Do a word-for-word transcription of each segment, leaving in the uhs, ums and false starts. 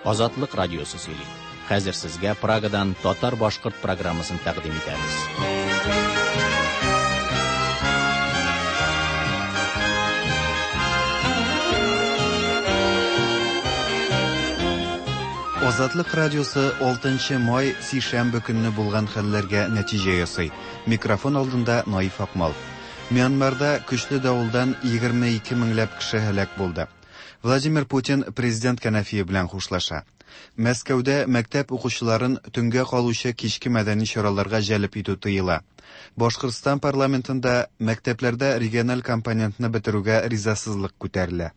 Азатлык радиосы сөйли. Хәзер сезгә Прагадан татар-башкорт программасын тәкъдим итәбез. Азатлык радиосы алтынчы май сишәмбе көнне булган хәлләргә нәтиҗә ясый. Микрофон алдында Наиф Акмал. Мьянмарда көчле давылдан егерме ике меңләп кеше һәлак булды. Владимир Путин президент кәнәфие белән хушлаша. Мәскәүдә мәктәп укучыларын төнгә калучы кичке мәдәни чараларга җәлеп итү тыела. Башкортстан парламентында мәктәпләрдә региональ компонентны бетерүгә ризасызлык күтәрелә.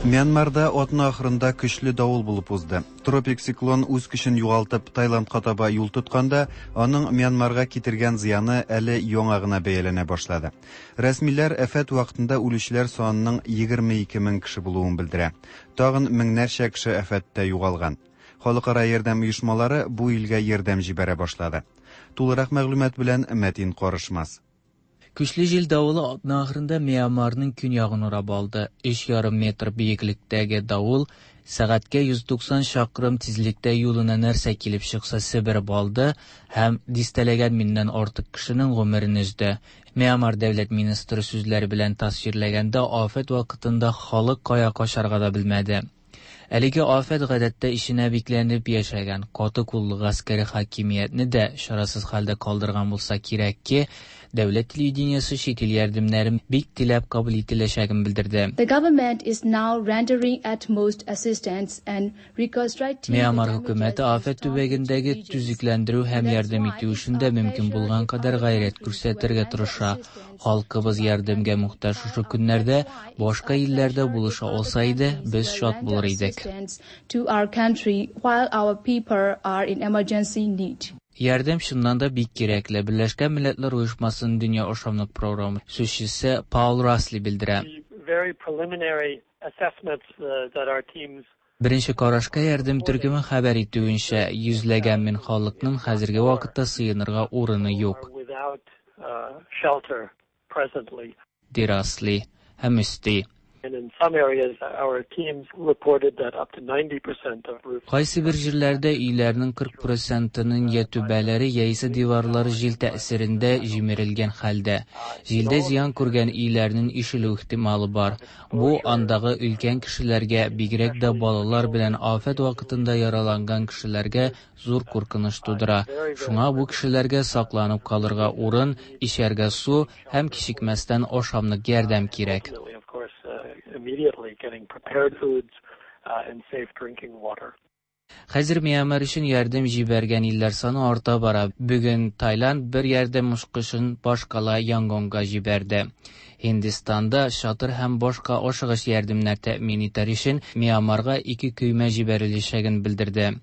Мьянмарда атна ахырында көчле давыл булып узды. Тропик циклон үз көчен югалтып Таиландка таба юл тотканда, аның Мьянмарга китергән зыяны әле яңа гына бәяләнә башлады. Рәсмиләр афәт вакытында үлүчеләр санының егерме ике мең кеше булуын белдерә. Тагын меңнәрчә кеше афәттә югалган. Халыкара ярдәм оешмалары бу илгә ярдәм җибәрә башлады. Тулырак мәгълүмат белән Мәтин Карышмас. Көчле җил давылы атна ахырында Мьянмарның көньягын урап алды. Өч ярым метр биеклектәге давыл сәгатькә йөз туксан чакрым тизлектә юлына нәрсә килеп чыкса себереп алды һәм дистәләгән меңнән артык кешенең гомерен өзде. Мьянмар дәүләт министры сүзләре белән тасвирләгәндә, афәт вакытында халык кая качарга да белмәде. Әлеге афәт гадәттә эченә бикләнеп яшәгән каты куллы гаскәри хакимиятне дә чарасыз хәлдә калдырган булса кирәк ки, дәүләт телевидениесе чит ил ярдәмнәрен бик теләп кабул ителәчәген белдерде. The government is now rendering utmost assistance and reconstructing the Мьянмар damages хөкүмәте афәт in storm төбәгендәге regions. төзекләндерү һәм That's ярдәм why итү it's эшендә our мөмкин pleasure булган if кадәр our гайрәт country күрсәтергә will тырыша. render assistance Халкыбыз to our ярдәмгә country. мохтаҗ шушы That's көннәрдә why it's башка our илләрдә pleasure булыша if other алса иде, countries без will шат render булыр идек. assistance to our country while our people are in emergency need. Ярдәм чыннан да бик кирәкле. Берләшкән Милләтләр Оешмасының Дөнья ашамлык програмы сүзчесе Паул Расли белдерә. The very preliminary assessments, uh, that our teams Беренче карашка ярдәм төркеме хәбәр итүенчә, йөзләгән мең халыкның хәзерге вакытта сыенырга урыны юк. are without, uh, shelter presently. Ди Расли һәм өсти. And in some areas, our teams reported that up to ninety percent of roofs. Кайсы бер җирләрдә өйләрнең кырык процентының я түбәләре яисә диварлары җил тәэсирендә җимерелгән хәлдә. Җилдә зыян күргән өйләрнең ишелү ихтималы бар. Бу андагы өлкән кешеләргә, бигрәк тә балалар белән афәт вакытында яраланган кешеләргә зур куркыныч тудыра. Шуңа бу кешеләргә сакланып калырга урын, эчәргә су һәм кичекмәстән ашамлык ярдәм кирәк. Immediately getting prepared foods, uh, and safe drinking water. Хәзер Мьянмар өчен ярдәм җибәргән илләр саны арта бара. Бүген Таиланд бер ярдәм очкычын башкала Янгонга җибәрде. Һиндстанда чатыр һәм башка ашыгыч ярдәмнәр тәэмин итәр өчен Мьянмарга ике көймә җибәреләчәген белдерде.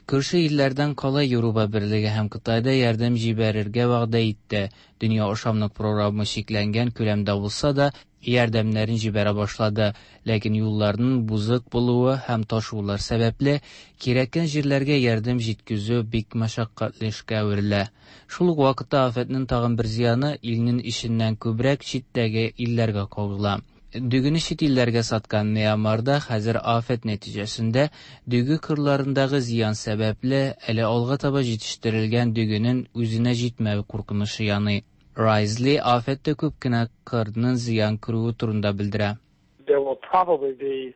Күрше илләрдән кала Европа Берлеге һәм Кытайда ярдәм җибәрергә вәгъдә итте. Дөнья ашамлык програмы чикләнгән күләмдә булса да, ярдәмнәрен җибәрә башлады. Ләкин юлларның бузык булуы һәм ташулар сәбәпле кирәккән җирләргә ярдәм җиткезү бик мәшәкатьле эшкә әверелә. Шул ук вакытта афәтнең тагын бер зыяны илнең эченнән күбрәк читтәге илләргә кагыла. Дөгене чит илләргә саткан Мьянмарда хәзер афәт нәтиҗәсендә дөге кырларындагы зыян сәбәпле әле алга таба җитештерелгән дөгенең үзенә җитмәве куркынычы яный. Райзли афәттә күп кенә кырның зыян күрүе турында белдерә. There will probably be,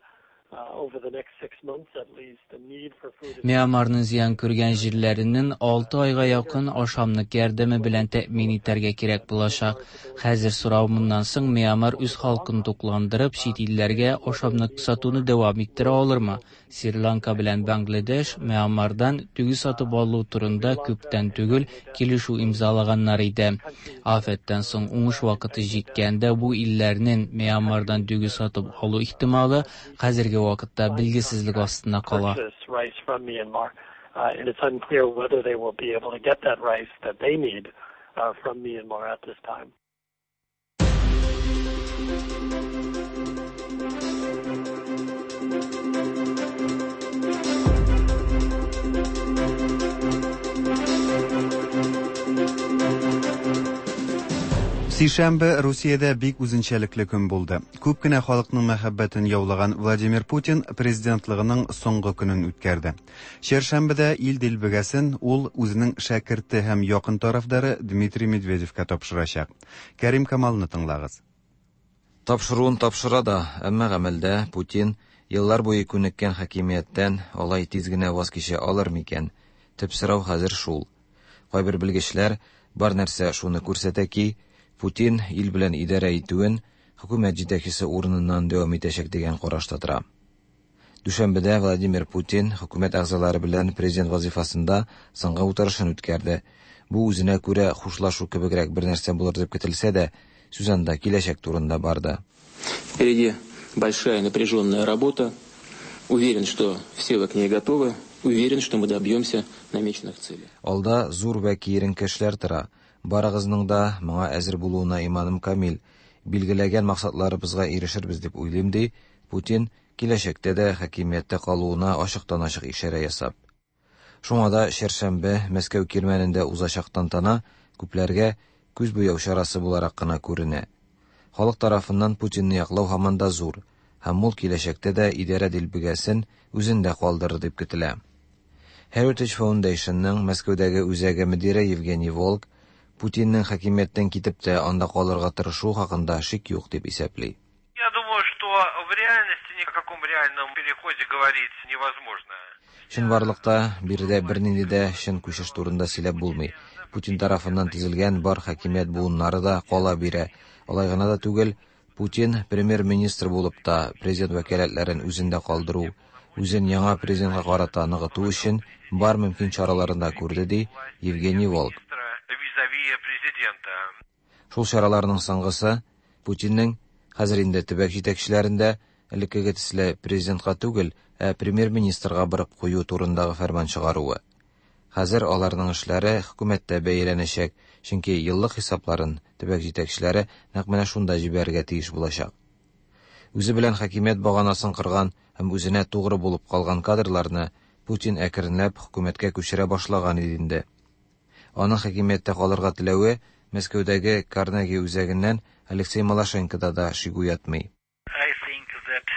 uh, over the next six months at least a need for food. Мьянмарның зыян күргән җирләренең алты айга якын ашамлык ярдәме белән тәэмин итәргә кирәк булачак. Хәзер сорау моннан соң Мьянмар үз халкын тукландырып чит илләргә ашамлык сатуны дәвам иттерә алырмы? Шри-Ланка белән Бангладеш Мьянмардан дөге сатып алу турында күптән түгел килешү имзалаганнар иде. Афәттән соң уңыш вакыты җиткәндә бу илләрнең Мьянмардан дөге сатып алу ихтималы хәзерге вакытта билгесезлек астында кала. Purchase rice from Myanmar, uh, and it's unclear whether they will be able to get that rice that they need, uh, from Myanmar at this time. Сишәмбе Русиядә бик үзенчәлекле көн булды. Күп кенә халыкның мәхәббәтен яулаган Владимир Путин президентлыгының соңгы көнен үткәрде. Чәршәмбедә ил дилбегәсен ул үзенең шәкерте һәм якын тарафдары Дмитрий Медведевка тапшырачак. Кәрим Камалны тыңлагыз. Тапшыруын тапшыра да, әмма гамәлдә Путин еллар буе күнеккән хакимияттән алай тиз генә ваз кичә алыр микән? Төп сорау хәзер шул. Кайбер белгечләр бар нәрсә шуны күрсәтә ки, Путин ил белән идарә итүен хөкүмәт җитәкчесе урыныннан дәвам итәчәк дигән карашта тора. Дүшәмбедә Владимир Путин хөкүмәт әгъзалары белән президент вазифасында соңгы утырышын үткәрде. Бу үзенә күрә хушлашу кебегрәк бер нәрсә булыр дип көтелсә дә, сүз анда киләчәк турында барды. Впереди большая напряженная работа. Уверен, что все вы к ней готовы. Уверен, что мы добьемся намеченных целей. Алда зур вә киеренке эшләр тора. Барыгызның да моңа әзер булуына иманым камил. Билгеләгән максатларыбызга ирешербез дип уйлыйм, ди Путин киләчәктә дә хакимияттә калуына ачыктан-ачык ишарә ясап. Шуңа да чәршәмбе Мәскәү кирмәнендә узачак тантана күпләргә күз буяу чарасы буларак кына күренә. Халык тарафыннан Путинны яклау һаман да зур, һәм ул киләчәктә дә идарә дилбегәсен үзендә калдырыр дип көтелә. Heritage Foundationның Мәскәүдәге үзәге мөдире Евгений Волк Путинның хакимияттән китеп тә анда калырга тырышу хакында шик юк дип исәпли. Я думаю, что в реальности ни о каком реальном переходе говорить невозможно. Чынбарлыкта биредә бернинди дә чын күчеш турында сөйләп булмый. Путин тарафыннан төзелгән бар хакимият буыннары да кала бирә. Алай гына да түгел, Путин премьер-министр булып та президент вәкаләтләрен үзендә калдыру, үзен яңа президентка карата ныгыту өчен бар мөмкин чараларын да күрде, ди Евгений Волк. Шул чараларның соңгысы Путинның хәзер инде төбәк җитәкчеләрендә элеккеге төсле президентка түгел, ә премьер-министрга барып кую турындагы фәрман чыгаруы. Хәзер аларның эшләре хөкүмәттә бәяләнәчәк, чөнки еллык хисапларын төбәк җитәкчеләре нәкъ менә шунда җибәрергә тиеш булачак. Үзе белән хакимият баганасын кырган һәм үзенә тугры булып калган кадрларны Путин әкренләп хөкүмәткә күчерә башлаган иде инде. Аның хакимияттә калырга теләве Мәскәүдәге Карнеги үзәгеннән Алексей Малашенкода да шик уятмый. I think that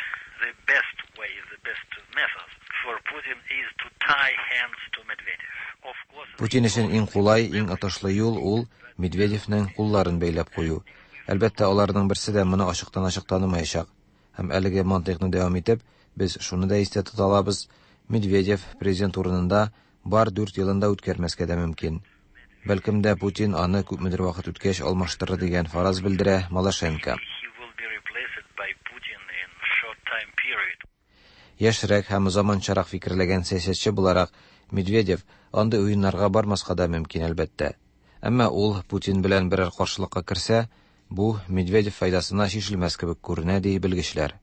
the best way, the best method for Putin is to tie hands to Medvedev. Of course, Путин өчен иң кулай, иң отышлы юл ул Медведевнең кулларын бәйләп кую. Әлбәттә, аларның берсе дә моны ачыктан-ачык танымаячак. Һәм әлеге мантыйкны дәвам итеп, без шуны да истә тота алабыз: Медведев президент урынында бар дүрт елын да үткәрмәскә дә мөмкин. Бәлкем дә Путин аны күпмедер вакыт үткәч алмаштырыр дигән фараз белдерә Малашенко. Яшьрәк һәм заманчарак фикерләгән сәясәтче буларак Медведев андый уеннарга бармаска да мөмкин, әлбәттә. Әмма ул Путин белән берәр каршылыкка керсә, бу Медведев файдасына чишелмәс кебек күренә, ди белгечләр.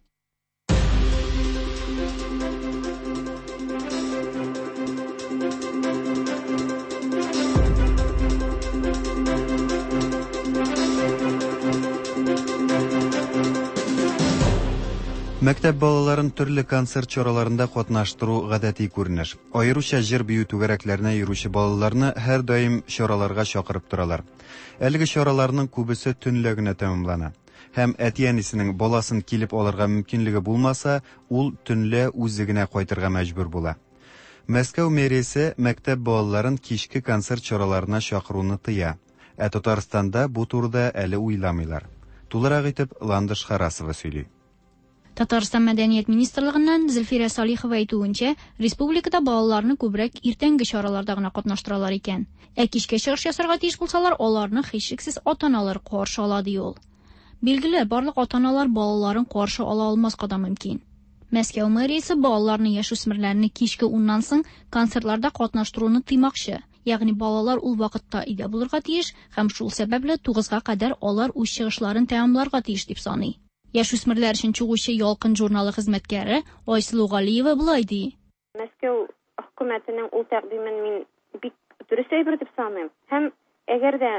Мәктәп балаларын төрле концерт чараларында катнаштыру гадәти күренеш. Аеруча җыр-бию түгәрәкләренә йөрүче балаларны һәр даим чараларга чакырып торалар. Әлеге чараларның күбесе төнлә генә тәмамлана. Һәм әти-әнисенең баласын килеп алырга мөмкинлеге булмаса, ул төнлә үзе генә кайтырга мәҗбүр була. Мәскәү мэриясе мәктәп балаларын кичке концерт чараларына чакыруны тыя. Ә Татарстанда бу турыда әле уйламыйлар. Тулырак итеп Ландыш Харасова сөйли. Татарстан Мәдәният министрлыгыннан Зөлфирә Салихова әйтүенчә, республикада балаларны күбрәк иртәнге чараларда гына катнаштыралар икән. Ә кичкә чыгыш ясарга тиеш булсалар, аларны һичшиксез ата-аналар каршы ала, ди ул. Билгеле, барлык ата-аналар балаларын каршы ала алмаска да мөмкин. Мәскәү мэриясе балаларны, яшүсмерләрне кичке уннан соң концертларда катнаштыруны тыймакчы. Ягъни балалар ул вакытта өйдә булырга тиеш һәм шул сәбәпле тугызга кадәр алар үз чыгышларын тәмамларга тиеш дип саный. Яшүсмерләр өчен чыгучы Ялкын журналы хезмәткәре Айсылу Галиева болай ди. Мәскәү хөкүмәтенең ул тәкъдимен мин бик дөрес әйбер дип саныйм. Һәм әгәр дә,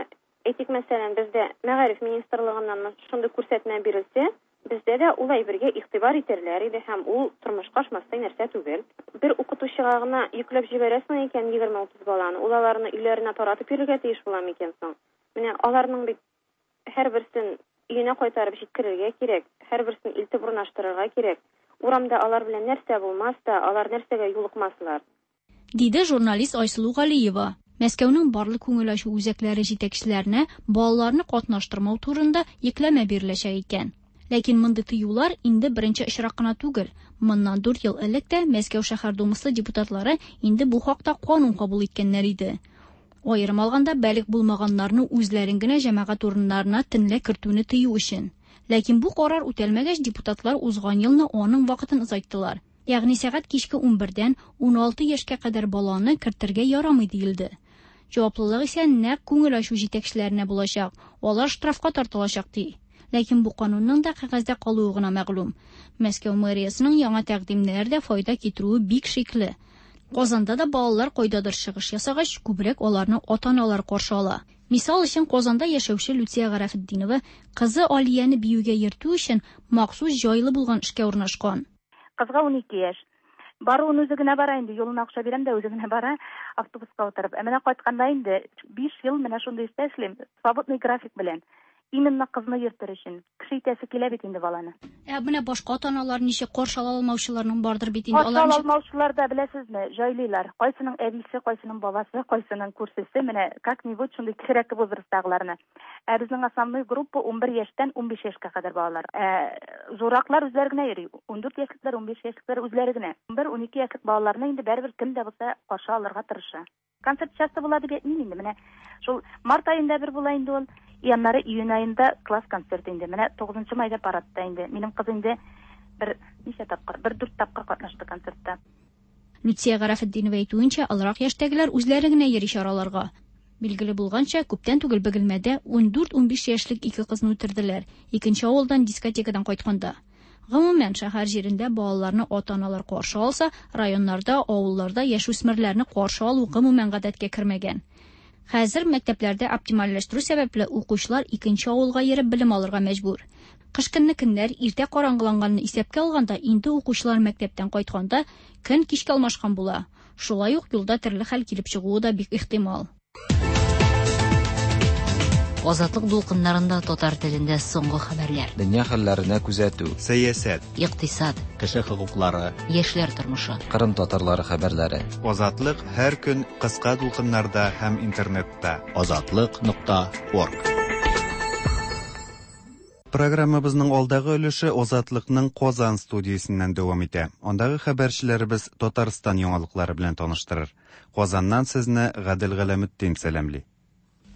әйтик, мәсәлән, бездә мәгариф министрлыгыннан шундый күрсәтмә бирелсә, бездә дә ул әйбергә игътибар итәрләр иде һәм ул тормышка ашмастай нәрсә түгел. Бер укытучыга гына йөкләп җибәрәсең икән егерме утыз баланы, ул аларны өйләренә таратып йөрергә тиеш була микән соң? Менә аларның бит Һәрберсен өенә кайтарып җиткерергә кирәк, һәрберсен илтеп урнаштырырга кирәк. Урамда алар белән нәрсә булмас та, алар нәрсәгә юлыкмаслар. Диде журналист Айсылу Галиева. Мәскәүнең барлык күңел ачу үзәкләре җитәкчеләренә балаларны катнаштырмау турында йөкләмә биреләчәк икән. Ләкин мондый тыюлар инде беренче очрак кына түгел. Моннан дүрт ел элек тә Мәскәү шәһәр думасы депутатлары инде бу хакта канун кабул иткәннәр иде. Аерым алганда, балигъ булмаганнарны үзләрен генә җәмәгать урыннарына төнлә кертүне тыю өчен. Ләкин бу карар үтәлмәгәч, депутатлар узган елны аның вакытын озайттылар. Ягъни сәгать кичке унбердән уналты яшькә кадәр баланы кертергә ярамый диелде. Җаваплылык исә нәкъ күңел ачу җитәкчеләренә булачак. Алар штрафка тартылачак ди. Ләкин бу канунның да кәгазьдә калуы гына мәгълүм. Мәскәү мэриясының яңа тәкъдимнәре дә файда китерүе бик шикле. Казанда да балалар кайдадыр чыгыш ясагач, күбрәк аларны ата-аналар каршы ала. Мисал өчен, Казанда яшәүче Люция Гарәфетдинова кызы Алияне биюгә йөртү өчен махсус җайлы булган эшкә урнашкан. Кызга унике яшь. Баруын үзе генә бара инде, юлына акча бирәм дә үзе генә бара, автобуска утырып. Ә менә кайтканда инде биш ел менә шундый эштә эшлим, свободный график белән. Именно кызны йөртер өчен. Кеше итәсе килә бит инде баланы. Ә менә башка ата-аналар ничек каршы ала алмаучыларның бардыр бит инде. Каршы ала алмаучылар да, беләсезме, җайлыйлар. Кайсының әбисе, кайсының бабасы, кайсының күршесе, менә как-нибудь шундый кечерәк возрасттагыларны. Ә безнең основной группа унбер яшьтән унбиш яшькә кадәр балалар. Ә зурраклар үзләре генә йөри. Ундүрт яшьлекләр, унбиш яшьлекләр үзләре генә. Унбер, унике яшьлек балаларны инде барыбер кем дә булса каршы алырга тырыша. Концерт часто була дип әйтмим инде. Менә шул март аенда бер була инде ул. И аннары июнь аенда класс концерты инде. Менә тугызынчы майда парадта инде. Минем кыз инде бер ничә тапкыр, бер дүрт тапкыр катнашты концертта. Люция Гарәфетдинова әйтүенчә, олырак яшьтәгеләр үзләре генә йөри чараларга. Билгеле булганча, күптән түгел Бөгелмәдә ундүрт-унбиш яшьлек ике кызны үтерделәр. Икенче авылдан дискотекадан кайтканда. Гомумән, шәһәр җирендә балаларны ата-аналар каршы алса, районнарда, авылларда яшүсмерләрне каршы алу гомумән гадәткә кермәгән. Хәзер мәктәпләрдә оптимальләштерү сәбәпле укучылар икенче авылга йөреп белем алырга мәҗбүр. Кыш көнне көннәр иртә караңгыланганны исәпкә алганда, инде укучылар мәктәптән кайтканда көн кичкә алмашкан була. Шулай ук юлда төрле хәл килеп чыгуы да бик ихтимал. Азатлык дулкыннарында татар телендә соңгы хәбәрләр. Дөнья хәлләренә күзәтү, сәясәт, икътисад, кеше хокуклары, яшьләр тормышы, Кырым татарлары хәбәрләре. Азатлык һәр көн кыска дулкыннарда һәм интернетта. Азатлык нокта орг. Программабызның алдагы өлеше Азатлыкның Казан студиясеннән дәвам итә. Андагы хәбәрчеләребез Татарстан яңалыклары белән таныштырыр. Казаннан сезне Гадел Галәметдин сәламли.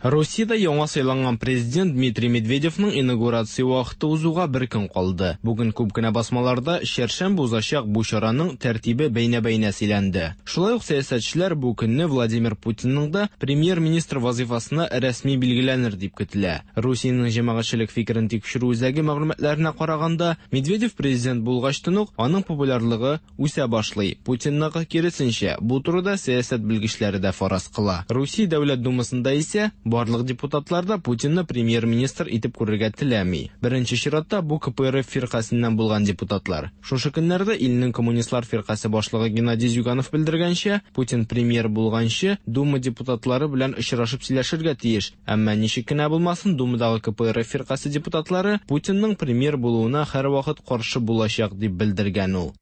Русиядә яңа сайланган президент Дмитрий Медведевның инаугурация вакыты узуга бер көн калды. Бүген күп кенә басмаларда чәршәмбе узачак бу чараның тәртибе бәйнә-бәйнә сөйләнде. Шулай ук сәясәтчеләр бу көнне Владимир Путинның да премьер-министр вазифасына рәсми билгеләнер дип көтелә. Русиянең җәмәгатьчелек фикерен тикшерү үзәге мәгълүматларына караганда, Медведев президент булгачтан ук аның популярлыгы үсә башлый. Путинныкы киресенчә, бу турыда сәясәт белгечләре дә фараз кыла. Русия Дәүләт Думасында исә барлык депутатлар да Путинны премьер-министр итеп күрергә теләми. Беренче чиратта бу К П Р Ф фиркасеннән булган депутатлар. Шушы көннәрдә илнең коммунистлар фиркасе башлыгы Геннадий Зюганов белдергәнчә, Путин премьер булганчы Дума депутатлары белән очрашып сөйләшергә тиеш. Әмма ничек кенә булмасын, Думадагы К П Р Ф фиркасе депутатлары Путинның премьер булуына һәрвакыт каршы булачак дип белдергән ул.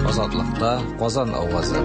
Азатлыкта Казан авазы.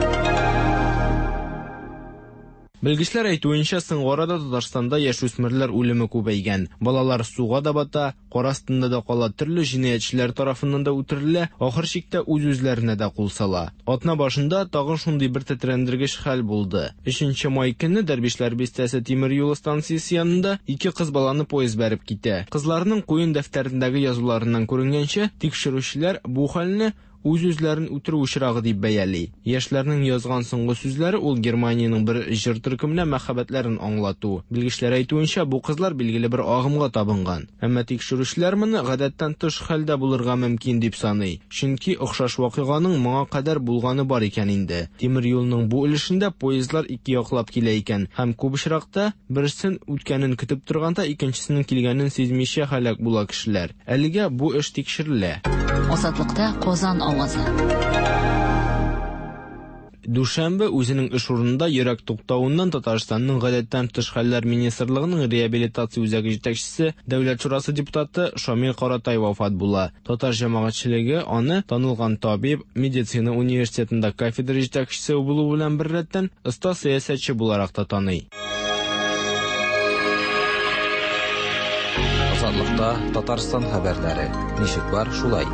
Белгечләр әйтүенчә, соңгы арада Татарстанда яшүсмерләр үлеме күбәйгән. Балалар суга да бата, кар астында да кала, төрле җинаятьчеләр тарафыннан да үтерелә, ахыр чиктә үз-үзләренә дә кул сала. Атна башында тагын шундый бер тетрәндергеч хәл булды. Өченче май көнне Дәрвишләр бистәсе тимер юлы станциясе янында ике кыз баланы поезд бәреп китә. Кызларның куен дәфтәрендәге язуларыннан күренгәнчә, тикшерүчеләр бу хәлне үз-үзләрен үтерү очрагы дип бәяли. Яшьләрнең язган соңгы сүзләре ул Германиянең бер җыр төркеменә мәхәббәтләрен аңлату. Белгечләр әйтүенчә, бу кызлар билгеле бер агымга табынган. Әмма тикшерүчеләр моны гадәттән тыш хәлдә булырга мөмкин дип саный. Чөнки охшаш вакыйганың моңа кадәр булганы бар икән инде. Тимер юлның бу өлешендә поездлар ике яклап килә икән һәм күп очракта берсен үткәнен көтеп торганда икенчесенең килгәнен сизмичә һәлак була кешеләр. Әлегә бу эш тикшерелә. Азатлыкта Казан авазы. Дүшәмбе үзенең эш урынында йөрәк туктавыннан Татарстанның гадәттән тыш хәлләр министрлыгының реабилитация үзәге җитәкчесе, Дәүләт шурасы депутаты Шамил Каратай вафат була. Татар җәмәгатьчелеге аны танылган табиб, медицина университетында кафедра җитәкчесе булу белән беррәттән оста сәясәтче буларак та таный. Азатлыкта Татарстан хәбәрләре. Ничек бар, шулай.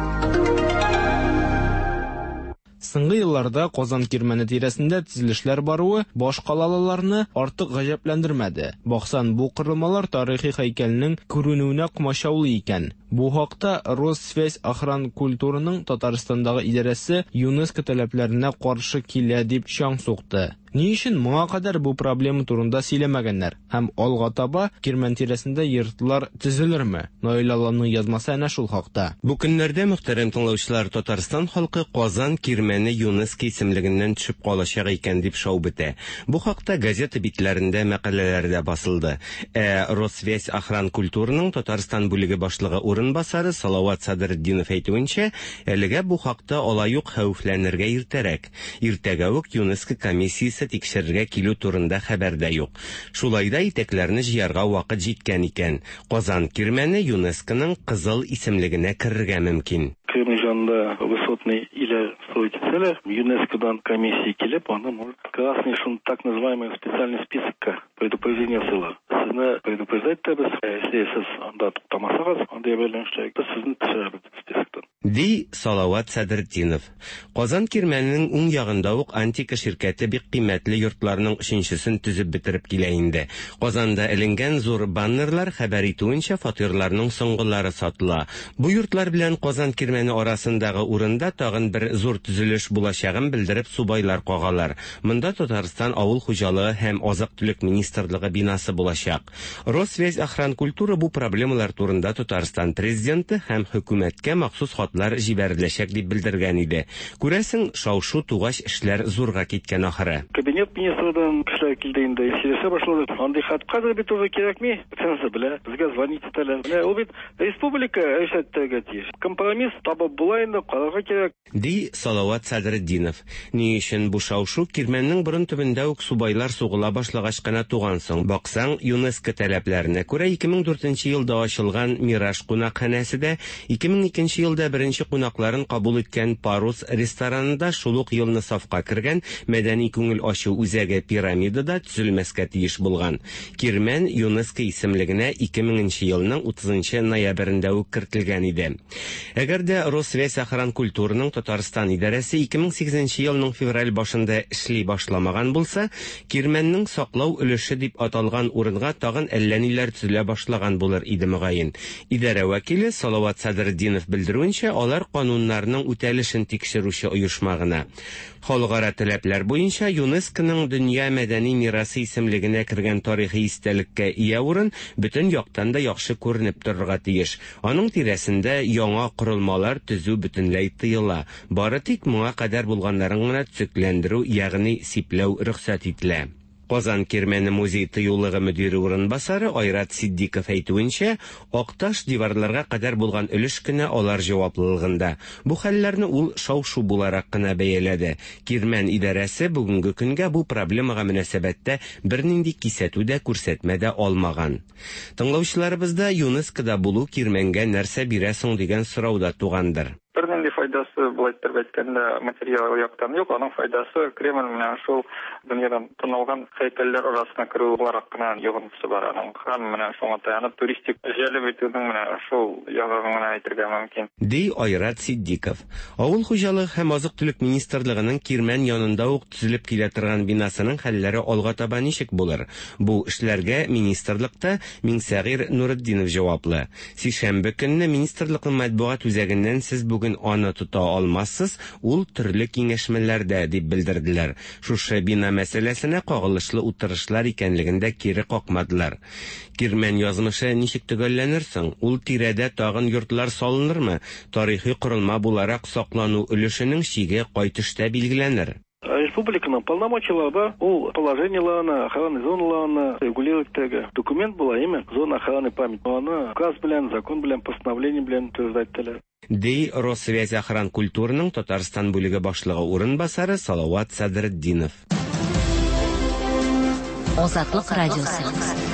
Соңгы елларда Казан Кирмәне тирәсендә төзелешләр баруы башкалалыларны артык гаҗәпләндермәде. Баксаң, бу корылмалар тарихи һәйкәлнең күренүенә комачаулый икән. Бу хакта Россвязьохранкультураның Татарстандагы идарәсе ЮНЕСКО таләпләренә каршы килә дип чаң сукты. Ни өчен моңа кадәр бу проблема турында сөйләмәгәннәр һәм алга таба Кирмән тирәсендә йортлар төзелерме? Наил Алланың язмасы әнә шул хакта. Бу көннәрдә, мөхтәрәм тыңлаучылар, Татарстан халкы Казан Кирмәне ЮНЕСКО исемлегеннән төшеп калачак икән дип шау бетә. Бу хакта газета битләрендә мәкаләләр дә басылды. Ә Россвязьохранкультураның Татарстан бүлеге башлыгы урынбасары Салават Садретдинов әйтүенчә, әлегә бу хакта алай ук хәвефләнергә иртәрәк. Иртәгә үк ЮНЕСКО комиссиясе тикшерергә килү турында хәбәр дә юк. Шулай да итәкләрне җыярга вакыт җиткән икән. Казан Кирмәне ЮНЕСКОның кызыл исемлегенә керергә мөмкин. Кремль янында высотный или строить целях, ЮНЕСКОдан комиссия килеп, аны может красный, шун так называемый специальный списокка предупреждение сыла. Сезне предупреждать итәбез, если сез анда туктамасагыз, анда әйләнештә без сезне төшерәбез списоктан. Ди Салават Садретдинов. Казан Кирмәненең уң ягында ук Антика ширкәте бик кыйммәтле йортларның өченчесен төзеп бетереп килә инде. Казанда эленгән зур баннерлар хәбәр итүенчә, фатирларның соңгылары сатыла. Бу йортлар белән Казан Кирмәне арасындагы урында тагын бер зур төзелеш булачагын белдереп субайлар кагалар. Монда Татарстан авыл хуҗалыгы һәм азык-төлек министрлыгы бинасы булачак. Россвязьохранкультура бу проблемалар турында Татарстан президенты һәм хөкүмәткә махсус хатлар җибәреләчәк дип белдергән иде. Күрәсең, шау-шу тугач эшләр зурга киткән ахыры. Кабинет министрдан кешеләр килде инде, сөйләшә башлады. Андый хат хәзер бит уже кирәкми. Бөтенесе белә, безгә звонить итәләр. Менә ул бит республика эшләтергә тиеш. Компромисс табып була инде, карарга кирәк. Ди Салават Садретдинов. Ни өчен бу шау-шу Кирмәннең борын төбендә үк субайлар сугыла башлагач кына туган соң? Баксаң, ЮНЕСКО таләпләренә күрә ике мең дүртенче елда ачылган Мираж кунакханәсе дә, ике мең икенче елда беренче кунакларын кабул иткән Парус ресторанында шул ук елны сафка кергән мәдәни күңел ачу үзәге Пирамида да төзелмәскә тиеш булган. Кирмән ЮНЕСКО исемлегенә ике меңенче елның утызынчы ноябрендә үк кертелгән иде. Әгәр дә Россвязьохранкультураның Татарстан идарәсе ике мең сигезенче елның февраль башында эшли башламаган булса, Кирмәннең саклау өлеше дип аталган урынга тагын әллә ниләр төзелә башлаган булыр иде мөгаен. Идарә вәкиле Салават Садретдинов белдерүенчә, алар кануннарның үтәлешен тикшерүче оешма гына. Халыкара таләпләр буенча ЮНЕСКОның дөнья мәдәни мирасы исемлегенә кергән тарихи истәлеккә ия урын бөтен яктан да яхшы күренеп торырга тиеш. Аның тирәсендә яңа корылмалар төзү бөтенләй тыела. Бары тик моңа кадәр булганнарын гына төзекләндерү, ягъни сипләү рөхсәт ителә. Казан Кирмәне музей тыюлыгы мөдире урынбасары Айрат Сиддиков әйтүенчә, Акташ диварларга кадәр булган өлеш кенә алар җаваплылыгында. Бу хәлләрне ул шау-шу буларак кына бәяләде. Кирмән идарәсе бүгенге көнгә бу проблемага мөнәсәбәттә бернинди кисәтү дә, күрсәтмә дә алмаган. Тыңлаучыларыбызда ЮНЕСКОда булу Кирмәнгә нәрсә бирә соң дигән сорау да тугандыр. Бернинди файдасы, былай итеп әйткәндә, материал яктан юк, аның файдасы Кремль менән шул дөньядан танылган һәйкәлләр арасына керү буларак кына йогынтысы бар аның. Һәм менә шуңа таянып туристик җәлеп итүнең менә шул ягын гына әйтергә мөмкин. Ди Айрат Сиддиков. Авыл хуҗалыгы һәм азык-төлек министрлыгының Кирмән янында ук төзелеп килә торган бинасының хәлләре алга таба ничек булыр? Бу эшләргә министрлыкта Миңсәгыйр Нуретдинов җаваплы. Сишәмбе көнне министрлыкның матбугат үзәгеннән сез бүген аны тота алмассыз, ул төрле киңәшмәләрдә дип белдерделәр. Шушы бина мәсьәләсенә кагылышлы утырышлар икәнлеген дә кире какмадылар. Кирмән язмышы ничек төгәлләнер соң? Ул тирәдә тагын йортлар салынырмы? Тарихи корылма буларак саклану өлешенең чиге кай төштә билгеләнер? Республиканың полномочиялары бар, ул положениеларны, охрана зоналарны регулировать итәргә. Документ була, әйме? Зона охраны память. Аны указ белән, закон белән, постановление белән утверждать ителә. Ди Россвязьохранкультураның Татарстан бүлеге башлыгы урынбасары Салават Садретдинов. Азатлык радиосы.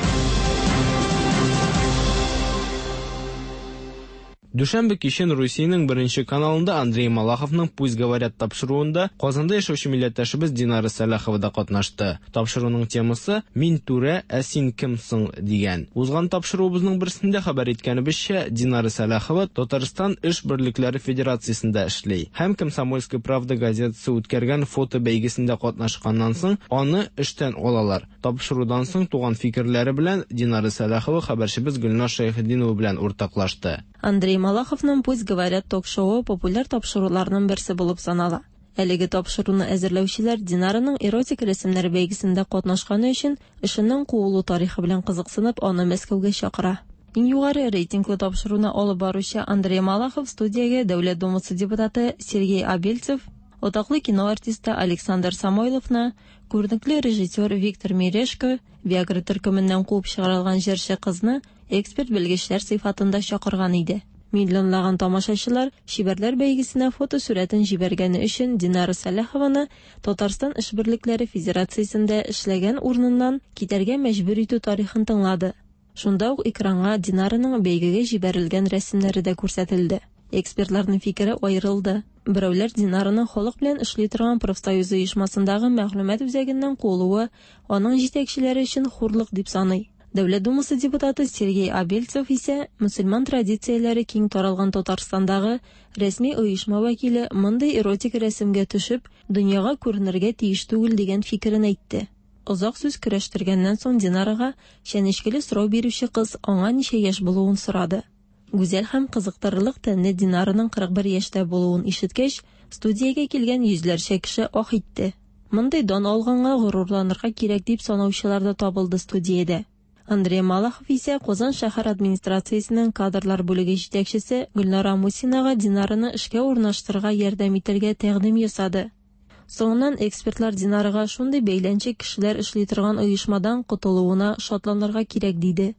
Дүшәмбе кичен Русиянең беренче каналында Андрей Малаховның «Пусть говорят» тапшыруында Казанда яшәүче милләттәшебез Динара Сәлахова да катнашты. Тапшыруның темасы «Мин түрә, ә син кем соң?» дигән. Узган тапшыруыбызның берсендә хәбәр иткәнебезчә, Динара Сәлахова Татарстан эш берлекләре федерациясендә эшли һәм «Комсомольская правда» газетасы үткәргән фото бәйгесендә катнашканнан соң аны эштән алалар. Тапшырудан соң туган фикерләре белән Динара Сәлахова хәбәрчебез Гөлназ Шәйхетдинова белән уртаклашты. Андрей Малаховның «Пусть говорят» ток-шоуы популяр тапшыруларның берсе булып санала. Әлеге тапшыруны әзерләүчеләр Динараның эротик рәсемнәр бәйгесендә катнашканы өчен эшеннән куылу тарихы белән кызыксынып, аны Мәскәүгә чакыра. Иң югары рейтинглы тапшыруны алып баручы Андрей Малахов студиягә Дәүләт Думасы депутаты Сергей Абельцев, атаклы кино артисты Александр Самойловны, күренекле режиссер Виктор Мережко, Виагра төркеменнән куып чыгарылган җырчы кызны эксперт белгечләр сыйфатында чакырган иде. Миллионлаган тамашачылар чибәрләр бәйгесенә фотосурәтен җибәргәне өчен Динара Сәлахованы Татарстан эш берлекләре федерациясендә эшләгән урыныннан китәргә мәҗбүр итү тарихын тыңлады. Шунда ук экранга Динараның бәйгегә җибәрелгән рәсемнәре дә күрсәтелде. Экспертларның фикере аерылды. Берәүләр Динараның халык белән эшли торган профсоюз оешмасындагы мәгълүмат үзәгеннән куылуы аның җитәкчеләре өчен хурлык дип саный. Дәүләт Думасы депутаты Сергей Абельцев исә мөселман традицияләре киң таралган Татарстандагы рәсми оешма вәкиле мондый эротик рәсемгә төшеп, дөньяга күренергә тиеш түгел дигән фикерен әйтте. Озак сүз көрәштергәннән соң Динарага чәнечкеле сорау бирүче кыз аңа ничә яшь булуын сорады. Гүзәл һәм кызыктырырлык тәнле Динараның кырык бер яшьтә булуын ишеткәч, студиягә килгән йөзләрчә кеше ах итте. Мондый дан алганга горурланырга кирәк дип санаучылар да табылды студиядә. Андрей Малахов исә Казан шәһәр администрациясенең кадрлар бүлеге җитәкчесе Гөлнара Мусинага Динараны эшкә урнаштырырга ярдәм итәргә тәкъдим ясады. Соңыннан экспертлар Динарага шундый бәйләнчек кешеләр эшли торган оешмадан котылуына шатланырга кирәк диде.